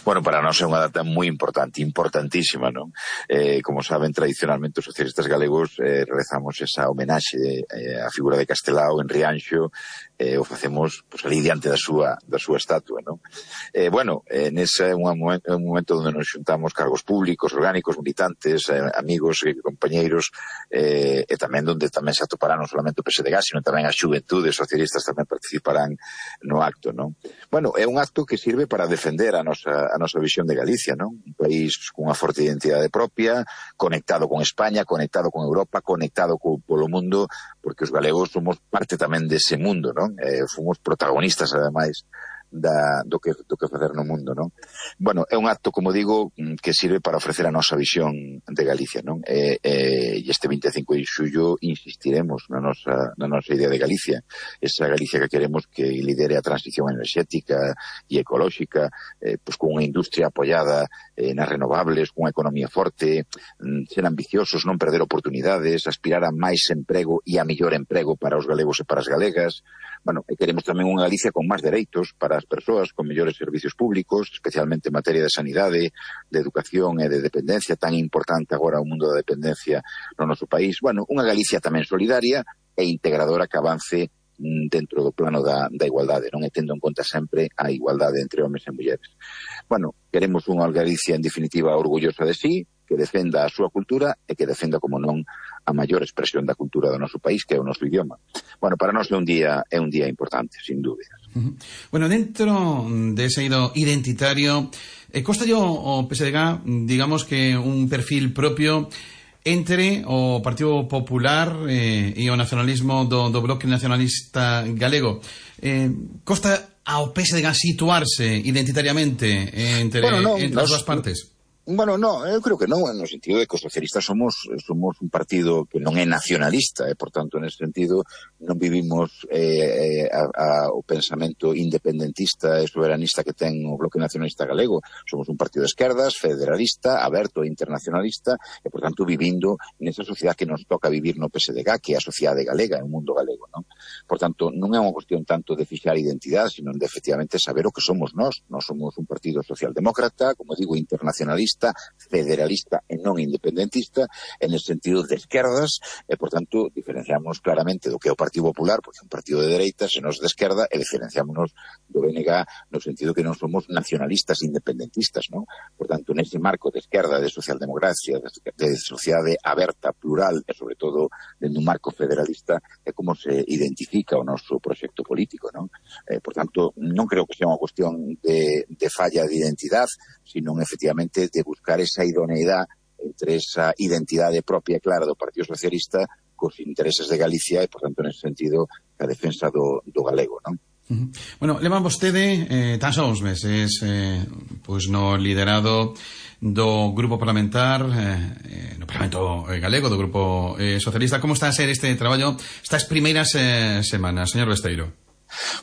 [SPEAKER 1] Bueno, para nós é unha data moi importante, importantísima, non? Eh, como saben, tradicionalmente os socialistas galegos eh, rezamos esa homenaxe eh, á figura de Castelao en Rianxo, eh, o facemos pues, ali diante da súa, da súa estatua, non? Eh, bueno, eh, nese é un momento, un momento onde nos xuntamos cargos públicos, orgánicos, militantes, eh, amigos e compañeiros, eh, e tamén onde tamén se atopará non solamente o P S D G, sino tamén as xuventudes socialistas tamén participarán no acto, non? Bueno, é un acto que sirve para defender a nosa a nosa visión de Galicia, non? Un país cunha forte identidade propia, conectado con España, conectado con Europa, conectado co, polo mundo, porque os galegos somos parte tamén dese mundo, non? Eh, fomos protagonistas, ademais, da, do, que, do que facer no mundo, non? Bueno, é un acto, como digo, que sirve para ofrecer a nosa visión de Galicia, non? E, e este vinte e cinco de xullo insistiremos na nosa, na nosa idea de Galicia, esa Galicia que queremos que lidere a transición enerxética e ecolóxica, eh, pues con unha industria apoiada eh, nas renovables, con unha economía forte, ser ambiciosos, non perder oportunidades, aspirar a máis emprego e a mellor emprego para os galegos e para as galegas. Bueno, e queremos tamén unha Galicia con máis dereitos para as persoas, con mellores servicios públicos, especialmente en materia de sanidade, de educación e de dependencia, tan importante agora o mundo da dependencia no noso país. Bueno, unha Galicia tamén solidaria e integradora que avance dentro do plano da, da igualdade, non? E tendo en conta sempre a igualdade entre homes e mulleres. Bueno, queremos unha Galicia, en definitiva, orgullosa de sí, que defenda a súa cultura e que defenda, como non, a maior expresión da cultura do noso país, que é o noso idioma. Bueno, para nós é un día é un día importante, sin dúbidas.
[SPEAKER 5] Uh-huh. Bueno, dentro de ese ido identitario, eh, costa yo o P S D G, digamos que un perfil propio entre o Partido Popular eh, e o nacionalismo do, do bloque nacionalista galego. Eh, costa ao P S D G situarse identitariamente entre, bueno, no, entre as dúas partes?
[SPEAKER 1] Bueno, no, eu creo que non, no sentido de que os socialistas somos somos un partido que non é nacionalista, e, por tanto, nesse sentido, non vivimos eh, a, a, o pensamento independentista e soberanista que ten o Bloque Nacionalista Galego. Somos un partido de esquerdas, federalista, aberto e internacionalista, e, por tanto, vivindo nesa sociedade que nos toca vivir no P S D G, que é a sociedade galega, o mundo galego, non? Por tanto, non é unha cuestión tanto de fixar identidade, sino de, efectivamente, saber o que somos nós. Nós somos un partido socialdemócrata, como digo, internacionalista, federalista e non independentista, en el sentido de esquerdas, e, por tanto, diferenciamos claramente do que é o Partido Popular, porque é un partido de dereita, se nos de esquerda, e diferenciámonos do B N G no sentido que non somos nacionalistas independentistas, non? Por tanto, nese marco de esquerda, de socialdemocracia, de sociedade aberta, plural, e, sobre todo, dentro un marco federalista, é como se identifica o noso proxecto político, non? Eh, por tanto, non creo que sea unha cuestión de, de falla de identidade, sino, efectivamente, de buscar esa idoneidade entre esa identidade propia e clara do Partido Socialista cos intereses de Galicia e, por tanto, nese sentido, a defensa do, do galego, non?
[SPEAKER 5] Uh-huh. Bueno, leva vostede eh, tan só uns meses eh, pois no liderado do grupo parlamentar eh, no Parlamento Galego, do grupo eh, socialista. Como está a ser este traballo estas primeiras eh, semanas, señor Besteiro?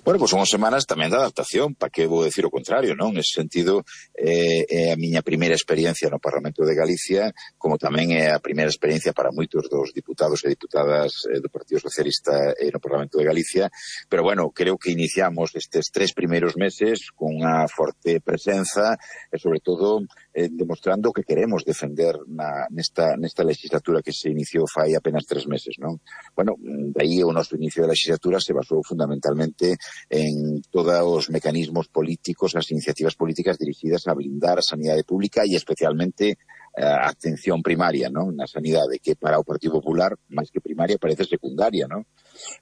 [SPEAKER 1] Bueno, pois son semanas tamén de adaptación, para que vou decir o contrario, non? Nese sentido, é eh, a miña primeira experiencia no Parlamento de Galicia, como tamén é a primeira experiencia para moitos dos diputados e diputadas eh, do Partido Socialista eh, no Parlamento de Galicia, pero bueno, creo que iniciamos estes tres primeiros meses con unha forte presenza e, sobre todo, eh, demostrando que queremos defender na, nesta, nesta legislatura que se iniciou fai apenas tres meses, non? Bueno, de aí o noso inicio de legislatura se basou fundamentalmente en todos os mecanismos políticos, as iniciativas políticas dirixidas a blindar a sanidade pública e especialmente a atención primaria, non? Na sanidade, que para o Partido Popular, máis que primaria, parece secundaria, non?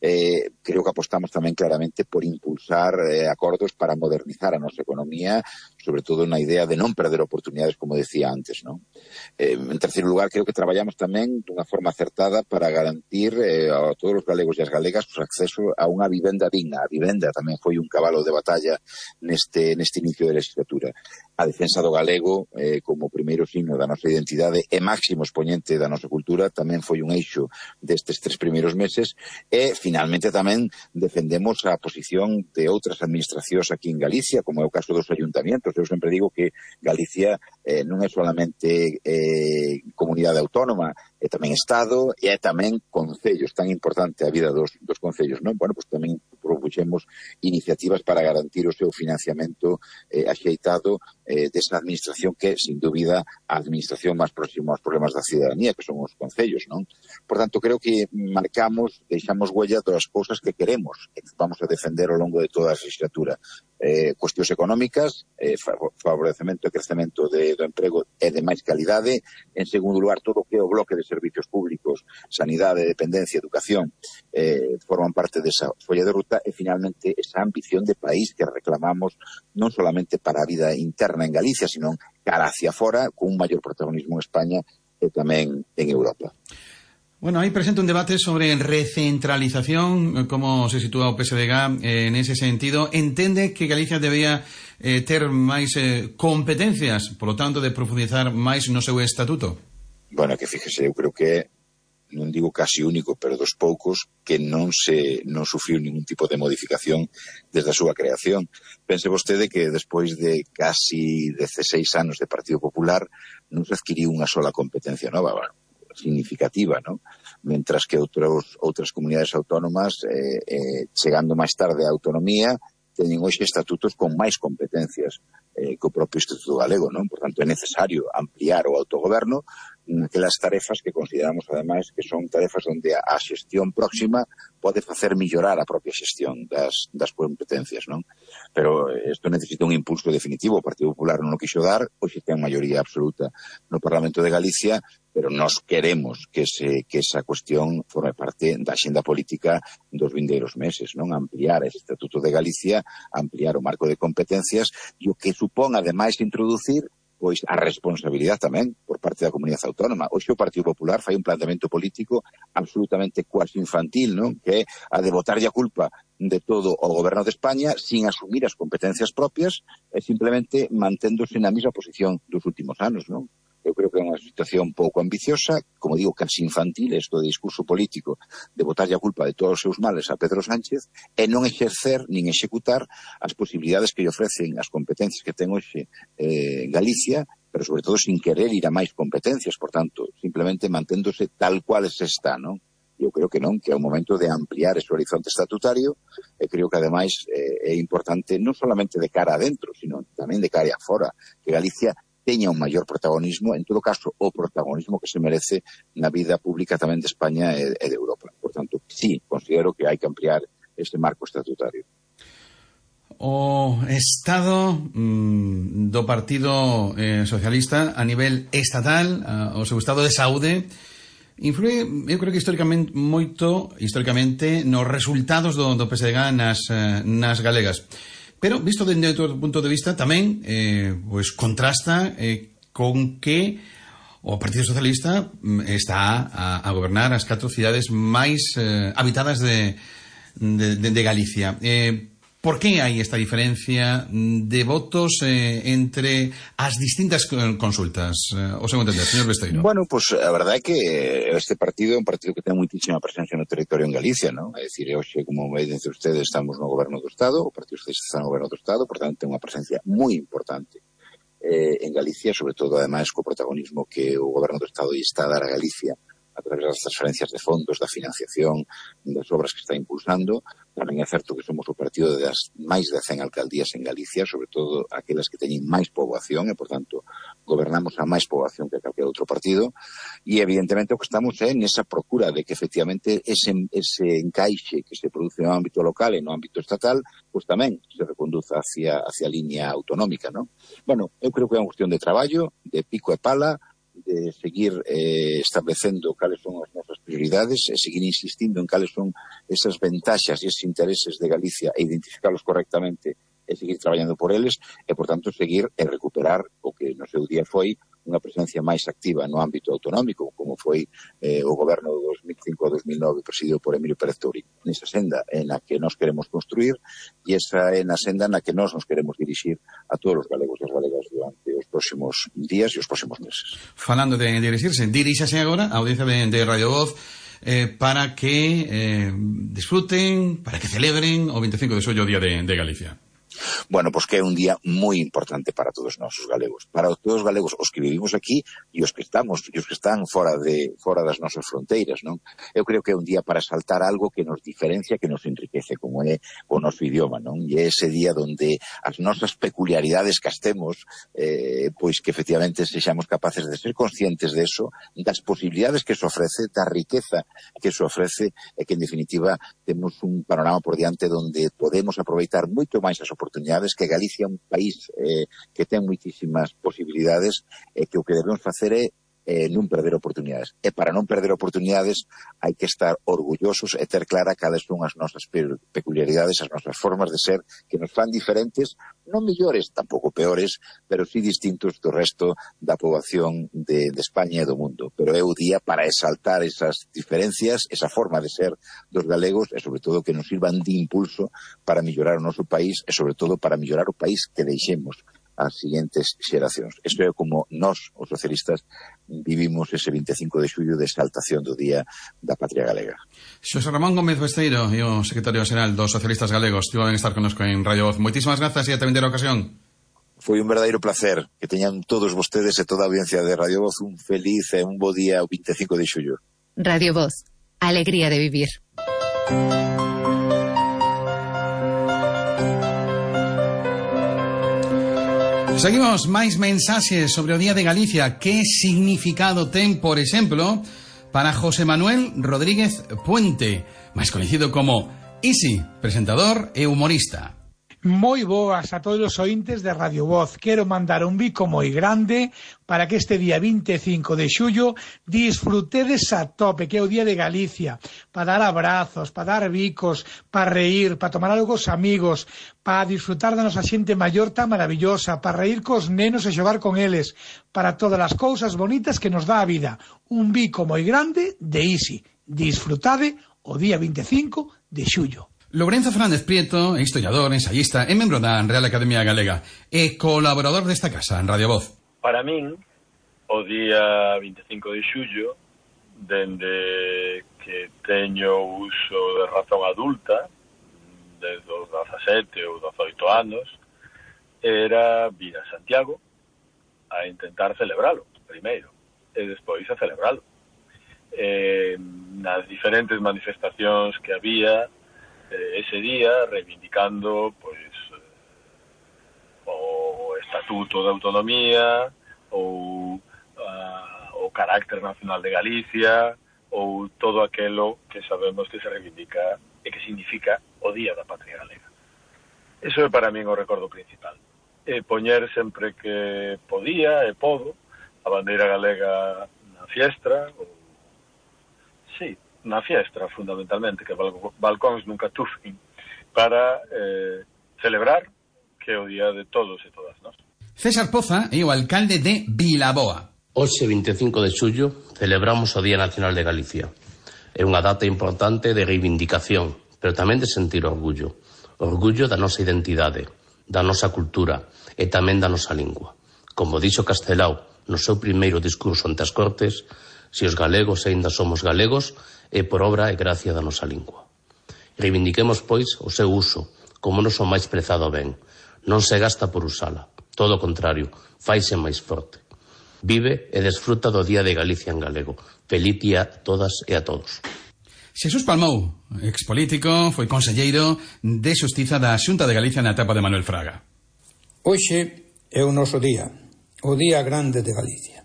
[SPEAKER 1] Eh, creo que apostamos tamén claramente por impulsar eh, acordos para modernizar a nosa economía, sobre todo na idea de non perder oportunidades, como decía antes, non? Eh, en terceiro lugar, creo que traballamos tamén dunha forma acertada para garantir eh, a todos os galegos e as galegas o acceso a unha vivenda digna. A vivenda tamén foi un cabalo de batalla neste, neste inicio de legislatura. A defensa do galego eh, como primeiro signo da nosa identidade e máximo expoñente da nosa cultura tamén foi un eixo destes tres primeiros meses e, finalmente, tamén defendemos a posición de outras administracións aquí en Galicia, como é o caso dos ayuntamientos. Eu sempre digo que Galicia eh, non é solamente eh, comunidade autónoma, é tamén Estado e é tamén concellos, tan importante a vida dos, dos concellos, non? Bueno, pois tamén puxemos iniciativas para garantir o seu financiamento eh, axeitado eh, desa administración que, sin dúbida, a administración máis próxima aos problemas da cidadanía, que son os concellos, non? Por tanto, creo que marcamos, deixamos huella todas as cousas que queremos, que vamos a defender ao longo de toda a legislatura. Eh, cuestións económicas, eh, favorecemento e crecemento de, do emprego e de máis calidade. En segundo lugar, todo o que é o bloque de servicios públicos, sanidade, dependencia, educación, eh, forman parte desa folla de ruta, e finalmente esa ambición de país que reclamamos non solamente para a vida interna en Galicia, sino cara hacia fora, con un maior protagonismo en España e tamén en Europa.
[SPEAKER 5] Bueno, aí presenta un debate sobre recentralización, como se sitúa o P S D G eh, en ese sentido. Entende que Galicia debía eh, ter máis eh, competencias, por lo tanto, de profundizar máis no seu estatuto?
[SPEAKER 1] Bueno, que fíjese, eu creo que non digo casi único, pero dos poucos que non se non sufriu ningún tipo de modificación desde a súa creación. Pense vostede que despois de casi dezseis anos de Partido Popular non se adquiriu unha sola competencia nova, bueno, significativa, ¿no? Mentras que outros, outras comunidades autónomas, eh, eh, chegando máis tarde á autonomía, teñen hoxe estatutos con máis competencias eh, que o propio Estatuto Galego, non? Por tanto, é necesario ampliar o autogoberno naquelas tarefas que consideramos, ademais, que son tarefas onde a xestión próxima pode facer millorar a propia xestión das, das competencias, non? Pero isto necesita un impulso definitivo. O Partido Popular non o quixo dar, hoxe ten maioría absoluta no Parlamento de Galicia, pero nós queremos que, se, que esa cuestión forme parte da axenda política dos vindeiros meses, non? Ampliar ese Estatuto de Galicia, ampliar o marco de competencias, e o que supón, ademais, introducir pois a responsabilidade tamén por parte da comunidade autónoma. Hoxe o Partido Popular fai un planteamento político absolutamente cuasi infantil, non? Que é a de botarlle a culpa de todo ao goberno de España sin asumir as competencias propias e simplemente manténdose na mesma posición dos últimos anos, non? Eu creo que é unha situación pouco ambiciosa, como digo, casi infantil, isto de discurso político, de botarlle a culpa de todos os seus males a Pedro Sánchez, e non exercer nin executar as posibilidades que lle ofrecen as competencias que ten hoxe eh, Galicia, pero sobre todo sin querer ir a máis competencias, por tanto, simplemente manténdose tal cual se está, non? Eu creo que non, que é o momento de ampliar ese horizonte estatutario, e creo que ademais eh, é importante non solamente de cara adentro, sino tamén de cara afora, que Galicia teña un maior protagonismo, en todo caso, o protagonismo que se merece na vida pública tamén de España e de Europa. Por tanto, sí, considero que hai que ampliar este marco estatutario.
[SPEAKER 5] O Estado mm, do Partido eh, Socialista a nivel estatal, uh, o seu estado de saúde, influe, eu creo que históricamente moito, históricamente, nos resultados do, do P S D G nas, uh, nas galegas. Pero, visto dende outro punto de vista, tamén eh, pues contrasta eh, con que o Partido Socialista está a, a gobernar as catro cidades máis eh, habitadas de, de, de, de Galicia. Eh, por que hai esta diferencia de votos eh, entre as distintas consultas? Eh, o seu entender, señor Besteiro.
[SPEAKER 1] Bueno, pues a verdade é que este partido é un partido que ten muitísima presencia no territorio en Galicia, ¿no? É dicir, hoxe, como me dicen ustedes, estamos no goberno do Estado, o Partido Socialista está no goberno do Estado, por tanto, ten unha presencia moi importante eh, en Galicia, sobre todo, ademais, co protagonismo que o goberno do Estado está a dar a Galicia a través das transferencias de fondos, da financiación, das obras que está impulsando. Tamén é certo que somos o partido das máis de cen alcaldías en Galicia, sobre todo aquelas que teñen máis poboación, e, por tanto, gobernamos a máis poboación que calquer outro partido, e, evidentemente, o que estamos é nesa procura de que, efectivamente, ese, ese encaixe que se produce no ámbito local e no ámbito estatal, pois tamén se reconduza hacia, hacia a línea autonómica, non? Bueno, eu creo que é unha cuestión de traballo, de pico e pala, de seguir eh, establecendo cales son as nosas prioridades e seguir insistindo en cales son esas ventaxas e esos intereses de Galicia e identificarlos correctamente e seguir traballando por eles e, por tanto, seguir e recuperar o que no seu día foi unha presencia máis activa no ámbito autonómico, como foi eh, o goberno do dos mil cinco a dos mil nove presidido por Emilio Pérez Touriño, nesa senda en a que nós queremos construir e esa é na senda na que nós nos queremos dirixir a todos os galegos e as galegas durante os próximos días e os próximos meses.
[SPEAKER 5] Falando de dirixirse, diríxase agora a audiencia de, de Radio Voz eh, para que eh, disfruten, para que celebren o veinticinco de xullo, o Día de, de Galicia.
[SPEAKER 1] Bueno, pois que é un día moi importante para todos nós, os galegos. Para todos os galegos, os que vivimos aquí e os que estamos, e os que están fora de fora das nosas fronteiras, non? Eu creo que é un día para saltar algo que nos diferencia, que nos enriquece, como é o noso idioma, non? E é ese día donde as nosas peculiaridades que as temos, eh, pois que efectivamente sexamos capaces de ser conscientes de eso, das posibilidades que se ofrece, da riqueza que se ofrece, e que en definitiva temos un panorama por diante donde podemos aproveitar moito máis as oportunidades, que Galicia é un país eh, que ten moitísimas posibilidades, e que o que debemos facer é eh, non perder oportunidades. E para non perder oportunidades hai que estar orgullosos e ter clara cales son as nosas peculiaridades, as nosas formas de ser, que nos fan diferentes, non mellores, tampouco peores, pero sí distintos do resto da poboación de, de España e do mundo. Pero é o día para exaltar esas diferencias, esa forma de ser dos galegos, e sobre todo que nos sirvan de impulso para mellorar o noso país, e sobre todo para mellorar o país que deixemos as seguintes xeracións. Isto é como nós, os socialistas, vivimos ese vinte e cinco de xullo de exaltación do Día da Patria Galega.
[SPEAKER 5] Xosé Ramón Gómez Besteiro, e o secretario xeral dos socialistas galegos, estivo ben estar connosco en Radio Voz. Moitísimas grazas e ata vindeira ocasión.
[SPEAKER 1] Foi un verdadeiro placer. Que teñan todos vostedes e toda a audiencia de Radio Voz un feliz e un bo día o vinte e cinco de xullo.
[SPEAKER 3] Radio Voz, alegría de vivir.
[SPEAKER 5] Seguimos, máis mensaxes sobre o Día de Galicia. Que significado ten, por exemplo, para José Manuel Rodríguez Puente, máis coñecido como Isi, presentador e humorista?
[SPEAKER 4] Moi boas a todos os ointes de Radio Voz. Quero mandar un bico moi grande para que este día vinte e cinco de xullo disfrutedes a tope, que é o Día de Galicia, para dar abrazos, para dar bicos, para reír, para tomar algo cos amigos, para disfrutar da nosa xente maior tan maravillosa, para reír cos nenos e xogar con eles, para todas as cousas bonitas que nos dá a vida. Un bico moi grande de Isi. Disfrutade o día vinte e cinco de xullo.
[SPEAKER 5] Lourenzo Fernández Prieto, historiador, ensayista e membro da Real Academia Galega e colaborador desta casa en Radio Voz.
[SPEAKER 6] Para min, o día vinte e cinco de xullo, dende que teño uso de razón adulta, desde os dezasete ou dezoito anos, era vir a Santiago a intentar celebralo, primeiro, e despois a celebralo. Eh, nas diferentes manifestacións que había ese día, reivindicando pois o Estatuto de Autonomía ou uh, o carácter nacional de Galicia ou todo aquelo que sabemos que se reivindica e que significa o Día da Patria Galega. Eso é para min o recordo principal. E poñer sempre que podía e podo a bandeira galega na fiestra, ou sí, na fiestra, fundamentalmente, que balcóns nunca tufen, para eh, celebrar que é o día de todos e todas nós.
[SPEAKER 5] César Poza é o alcalde de Vilaboa.
[SPEAKER 7] Hoxe, vinte e cinco de xullo, celebramos o Día Nacional de Galicia. É unha data importante de reivindicación, pero tamén de sentir orgullo. Orgullo da nosa identidade, da nosa cultura e tamén da nosa lingua. Como dixo Castelao no seu primeiro discurso ante as Cortes, se os galegos aínda somos galegos, é por obra e gracia da nosa lingua. Reivindiquemos, pois, o seu uso, como o noso máis prezado ben. Non se gasta por usala, todo o contrario, faise máis forte. Vive e desfruta do Día de Galicia en galego. Feliz día a todas e a todos.
[SPEAKER 5] Xesús Palmou, expolítico, foi conselleiro de Xustiza da Xunta de Galicia na etapa de Manuel Fraga.
[SPEAKER 19] Hoxe é o noso día, o Día Grande de Galicia.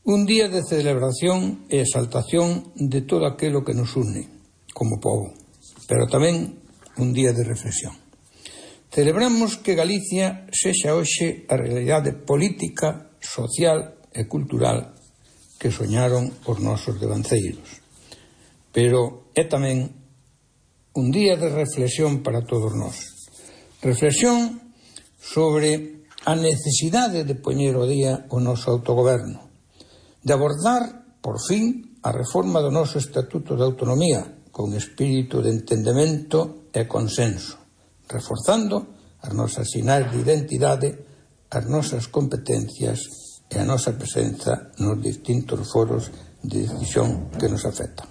[SPEAKER 19] Un día de celebración e exaltación de todo aquilo que nos une como pobo, pero tamén un día de reflexión. Celebramos que Galicia sexa hoxe a realidade política, social e cultural que soñaron os nosos devanceiros. Pero é tamén un día de reflexión para todos nós. Reflexión sobre a necesidade de poñer o día o noso autogoberno, de abordar, por fin, a reforma do noso Estatuto de Autonomía con espírito de entendemento e consenso, reforzando as nosas sinais de identidade, as nosas competencias e a nosa presenza nos distintos foros de decisión que nos afectan.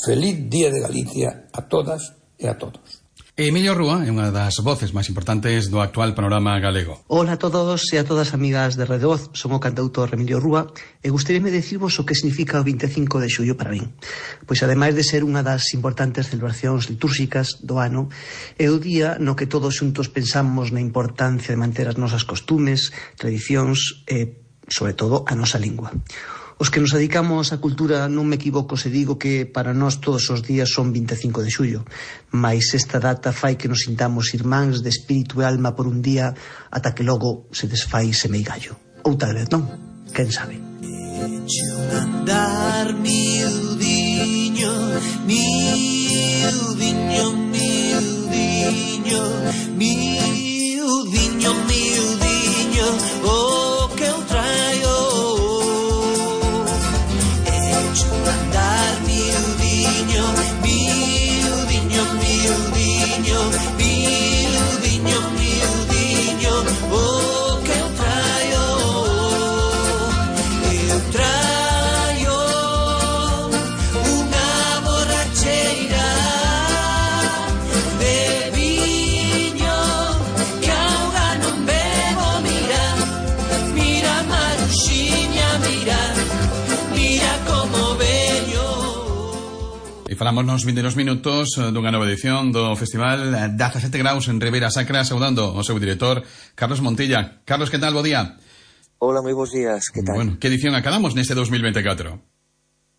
[SPEAKER 19] Feliz Día de Galicia a todas e a todos.
[SPEAKER 5] Emilio Rúa é unha das voces máis importantes do actual panorama galego.
[SPEAKER 2] Ola a todos e a todas amigas de Radio Voz, son o cantautor Emilio Rúa e gustaríame dicirvos o que significa o vinte e cinco de xullo para min. Pois ademais de ser unha das importantes celebracións litúrxicas do ano, é o día no que todos xuntos pensamos na importancia de manter as nosas costumes, tradicións e, sobre todo, a nosa lingua. Os que nos dedicamos á cultura non me equivoco se digo que para nós todos os días son vinte e cinco de xullo, mais esta data fai que nos sintamos irmáns de espírito e alma por un día ata que logo se desfai semeigallo. Ou tal vez non, quen sabe.
[SPEAKER 9] Eche un andar miudiño, miudiño, miudiño, miudiño, miudiño, o que eu traio. Andar miudiño, miudiño, miudiño, miudiño, miudiño, o que eu traio, eu traio unha borracheira de viño que auga non bebo, mira, mira Maruxiña, mira, mira como veño.
[SPEAKER 5] E falamos nos vindeiros minutos dunha nova edición do Festival dezasete graus en Ribeira Sacra, saudando o seu director, Carlos Montilla. Carlos, que tal? Bo día.
[SPEAKER 10] Hola, moi bons días, que tal?
[SPEAKER 5] Bueno, que edición acabamos neste dos mil veinticuatro?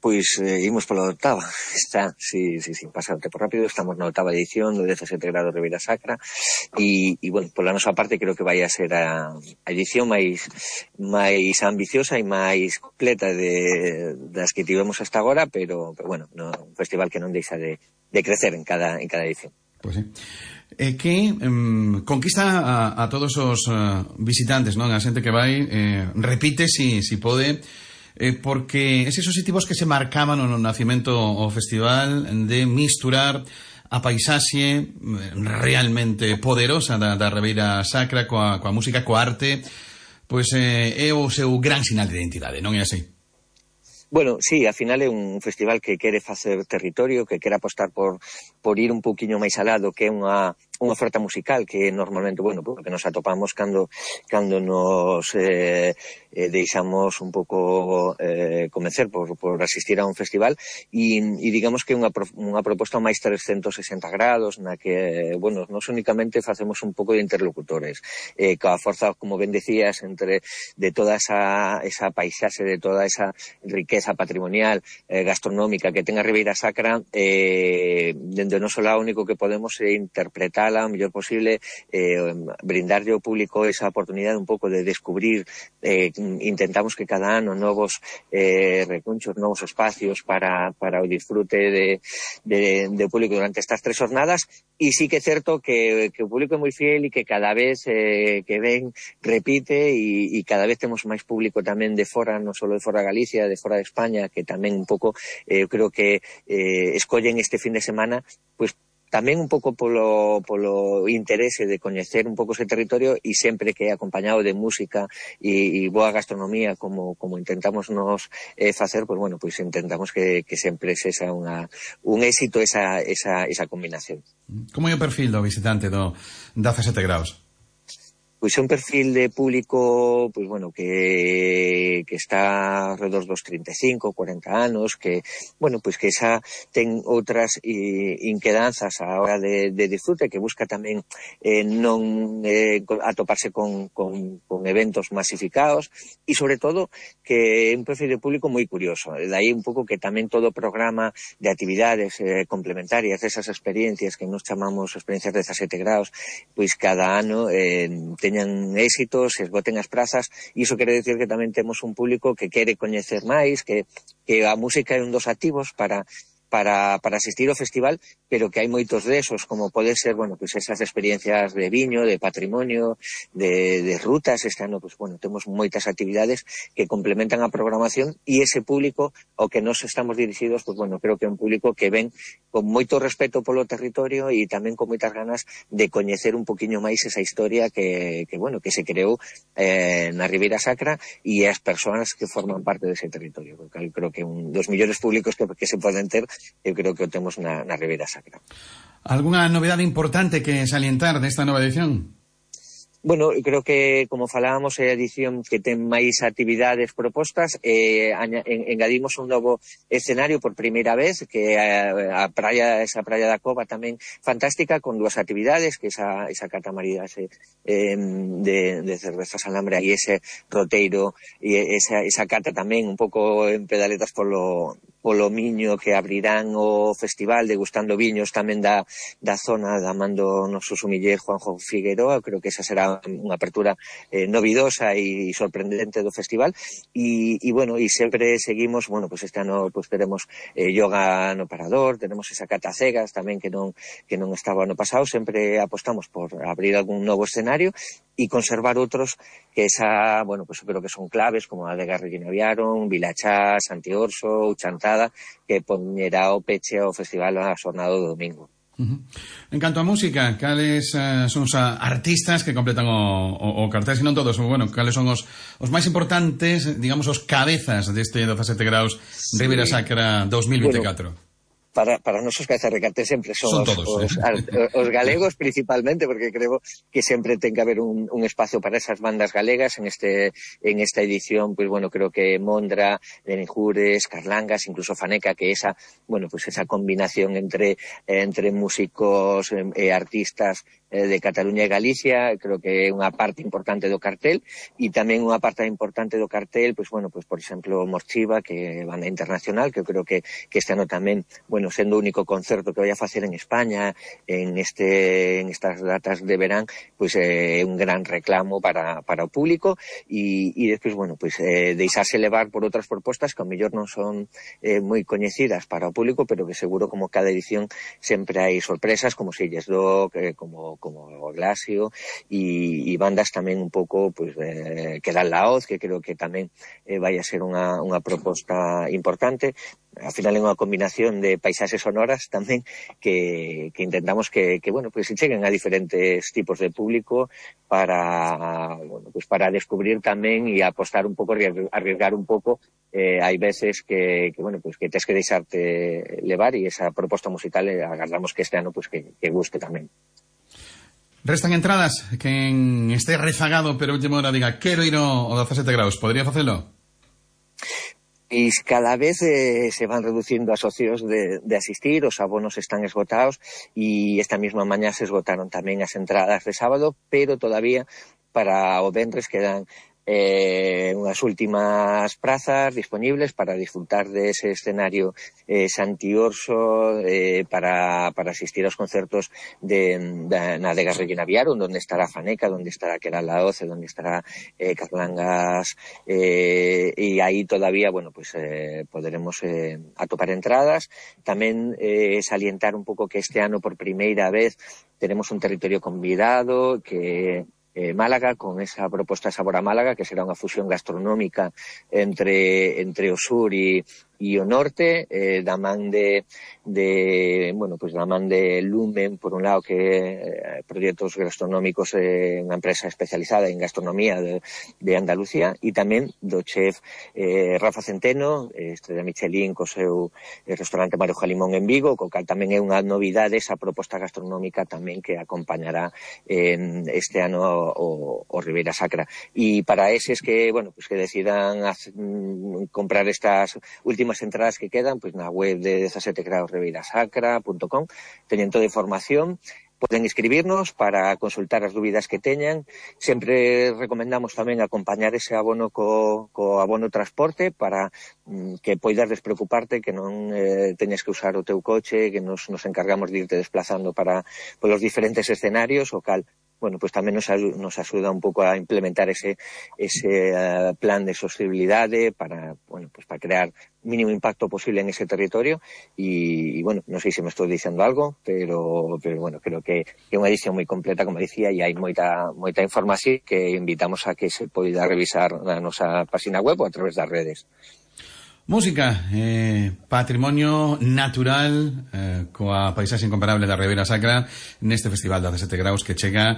[SPEAKER 10] Pois eh, imos pola octava, está, sí, sí, sí, pasa o tempo rápido, estamos na octava edición do dezasete graus Ribeira Sacra e, e bueno, pola nosa parte creo que vai a ser a, a edición máis máis ambiciosa e máis completa de, das que tivemos hasta agora, pero, pero bueno, no, un festival que non deixa de, de crecer en cada, en cada edición.
[SPEAKER 5] Pois sí. Eh, que um, conquista a, a todos os uh, visitantes, non? A xente que vai, eh, repite si, si pode, eh, porque eses obxectivos que se marcaban no nacimento o festival de misturar a paisaxe realmente poderosa da, da Ribeira Sacra coa, coa música, coa arte, pois eh, é o seu gran sinal de identidade, non é así?
[SPEAKER 10] Bueno, sí, ao final é un festival que quere facer territorio, que quere apostar por, por ir un poquinho máis alá do que é unha unha oferta musical que normalmente, bueno, porque nos atopamos cando cando nos eh, eh, deixamos un pouco eh, convencer por, por asistir a un festival e, e digamos que é unha, unha proposta máis trescentos sesenta grados na que, bueno, non únicamente facemos un pouco de interlocutores eh, coa forza, como ben decías, entre de toda esa, esa paisaxe, de toda esa riqueza patrimonial, eh, gastronómica que ten a Ribeira Sacra, eh, dende o noso lado único que podemos é interpretar o mellor posible, eh, brindarlle ao público esa oportunidade un pouco de descubrir, eh, intentamos que cada ano novos eh, recunchos, novos espacios para, para o disfrute de, de, de público durante estas tres jornadas, e sí que é certo que, que o público é moi fiel e que cada vez eh, que ven repite e, e cada vez temos máis público tamén de fora, non só de fora de Galicia, de fora de España, que tamén un pouco, eh, eu creo que eh, escollen este fin de semana, pois tamén un pouco polo, polo interese de coñecer un pouco ese territorio e sempre que é acompañado de música e, e boa gastronomía como, como intentamos nos eh, facer, pois bueno, pois intentamos que, que sempre sexa unha, un éxito esa, esa, esa combinación.
[SPEAKER 5] Como é o perfil do visitante do dezasete graus?
[SPEAKER 10] Pois é un perfil de público, pois bueno, que, que está alrededor dos trinta e cinco, cuarenta anos, que, bueno, pois que xa ten outras eh, inquedanzas á hora de, de disfrute, que busca tamén eh, non eh, atoparse con, con, con eventos masificados e, sobre todo, que é un perfil de público moi curioso. De aí un pouco que tamén todo o programa de actividades eh, complementarias desas experiencias que nos chamamos experiencias dezasete graus, pois cada ano eh, teñan éxitos, se esgoten as prazas, e iso quere decir que tamén temos un público que quere coñecer máis, que, que a música é un dos activos para para, para asistir ao festival, pero que hai moitos desos, como pode ser, bueno, pues esas experiencias de viño, de patrimonio, de, de rutas. Este ano, pues bueno, temos moitas actividades que complementan a programación, e ese público ao que nos estamos dirixidos, pues bueno, creo que é un público que ven con moito respeto polo territorio e tamén con moitas ganas de coñecer un poquinho máis esa historia que, que bueno, que se creou eh, na Ribeira Sacra e as persoas que forman parte dese territorio. Porque eu creo que un dos millores públicos que, que se poden ter, eu creo que o temos na, na Ribeira Sacra.
[SPEAKER 5] Alguna novedade importante que salientar desta nova edición?
[SPEAKER 10] Bueno, creo que, como falábamos, é a edición que ten máis actividades propostas. Eh, engadimos un novo escenario por primeira vez, que a, a praia, esa praia da Cova tamén fantástica, con dúas actividades, que esa, esa catamarida ese, eh, de, de cervezas alambre e ese roteiro, e esa, esa cata tamén un pouco en pedaletas polo, polo Miño, que abrirán o festival degustando viños tamén da, da zona da man do noso sumiller Juanjo Figueroa. Creo que esa será unha apertura eh, novidosa e sorprendente do festival. E, e bueno, e sempre seguimos, bueno, pues este ano pues teremos eh, yoga no parador, tenemos esa cata cegas tamén que non que non estaba no pasado. Sempre apostamos por abrir algún novo escenario e conservar outros que esa, bueno, pues creo que son claves, como a de Garriguina Viaron, Vilachá, Santiorso, Uchantada, que poñerá o peche ao festival a xornada do domingo.
[SPEAKER 5] Uh-huh. En canto a música, cales uh, son os uh, artistas que completan o, o, o cartel, se non todos, bueno, cales son os, os máis importantes, digamos, os cabezas deste dezasete graus sí. Ribeira Sacra dos mil veinticuatro? Bueno,
[SPEAKER 10] para, para nosos cabezas de cartel sempre son, son os, todos, os, eh? os galegos principalmente, porque creo que sempre ten que haber un, un espacio para esas bandas galegas en este en esta edición. Pues bueno, creo que Mondra, Benjures, Carlangas, incluso Faneca, que esa, bueno, pues esa combinación entre entre músicos e eh, artistas eh, de Cataluña e Galicia, creo que é unha parte importante do cartel. E tamén unha parte importante do cartel, pues bueno, pues por exemplo Morchiva, que é banda internacional, que eu creo que, que este ano tamén, bueno, sendo o único concerto que vai a facer en España en este en estas datas de verán, pois pues, é eh, un gran reclamo para, para o público. E, e despois, bueno, pois pues, eh, deixarse levar por outras propostas que ao mellor non son eh, moi coñecidas para o público, pero que seguro, como cada edición, sempre hai sorpresas, como Silles Dog, eh, como, como o Glasio, e, e bandas tamén un pouco, pois, pues, eh, que dan la hoz, que creo que tamén eh, vai a ser unha, unha proposta importante. Al final é unha combinación de paisaxes sonoras tamén que, que intentamos que, que bueno, pues, se cheguen a diferentes tipos de público para, bueno, pues, para descubrir tamén e apostar un pouco, arriesgar un pouco. Eh, hai veces que, que bueno, pues, que tes que deixarte levar, e esa proposta musical eh, agardamos que este ano pues, que, que guste tamén.
[SPEAKER 5] Restan entradas. Quen este rezagado pero última hora diga quero ir ao dezasete graus, podría facelo?
[SPEAKER 10] E cada vez eh, se van reducindo as opcións de, de asistir, os abonos están esgotados, e esta mesma mañá se esgotaron tamén as entradas de sábado, pero todavía para o venres quedan eh, unhas últimas prazas disponibles para disfrutar de ese escenario eh, Santiorso, eh, para, para asistir aos concertos de, de, na de Garriguina Viaron, donde estará Faneca, donde estará Queral la Oce, donde estará eh, Carlangas, eh, e aí todavía, bueno, pues eh, poderemos eh, atopar entradas. Tamén eh, salientar un pouco que este ano por primeira vez tenemos un territorio convidado, que Eh, Málaga, con esa proposta Sabor a Málaga, que será unha fusión gastronómica entre, entre o sur e, e o norte, eh, da man de, de, bueno, pues da man de Lumen, por un lado, que eh, proxectos gastronómicos, eh, unha empresa especializada en gastronomía de, de Andalucía, e tamén do chef eh, Rafa Centeno, estrella Michelin, co seu eh, restaurante Mario Jalimón en Vigo, co cal tamén é unha novidade esa proposta gastronómica tamén que acompañará eh, este ano o, o Ribeira Sacra. E para eses que, bueno, pues que decidan hacer, mm, comprar estas últimas entradas que quedan, pues na web de dezasete graus ribeira sacra punto com teñen toda a información. Poden escribirnos para consultar as dúbidas que teñan. Sempre recomendamos tamén acompañar ese abono co, co abono transporte para mm, que poidas despreocuparte, que non eh, teñas que usar o teu coche, que nos, nos encargamos de irte desplazando para polos diferentes escenarios, o cal, bueno, pues tamén nos, nos axuda un pouco a implementar ese, ese uh, plan de sostenibilidade para, bueno, pues para crear mínimo impacto posible en ese territorio. E, bueno, non sei se me estou dicendo algo, pero, pero bueno, creo que é unha edición moi completa, como dicía, e hai moita, moita información que invitamos a que se poida revisar na nosa página web ou a través das redes.
[SPEAKER 5] Música, eh, patrimonio natural, eh, coa paisaxe incomparable da Ribeira Sacra neste festival de dezasete graus que chega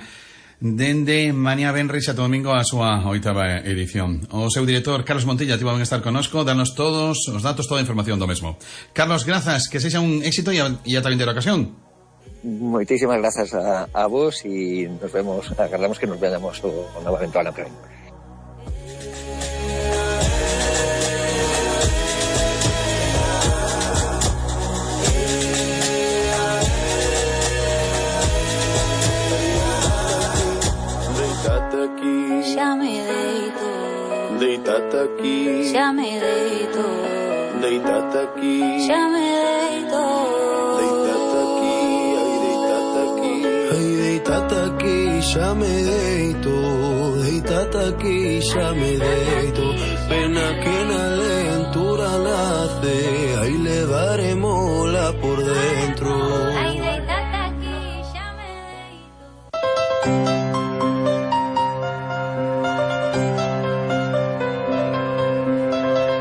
[SPEAKER 5] dende mañá venres ata domingo a súa oitava edición. O seu director, Carlos Montilla, tivo ben estar connosco, darnos todos os datos, toda a información do mesmo. Carlos, grazas, que sexa un éxito e ata vindeira ocasión.
[SPEAKER 10] moitísimas grazas a, a vos e nos vemos, agardamos que nos veamos o, o novamente ano que ven.
[SPEAKER 11] Xa me deito,
[SPEAKER 12] deitate aquí,
[SPEAKER 11] xa me deito,
[SPEAKER 12] deitate aquí,
[SPEAKER 11] xa me deito,
[SPEAKER 12] deitate aquí, ai deitate aquí, ai deitate aquí, xa me deito, deitate aquí, xa me deito, pena que na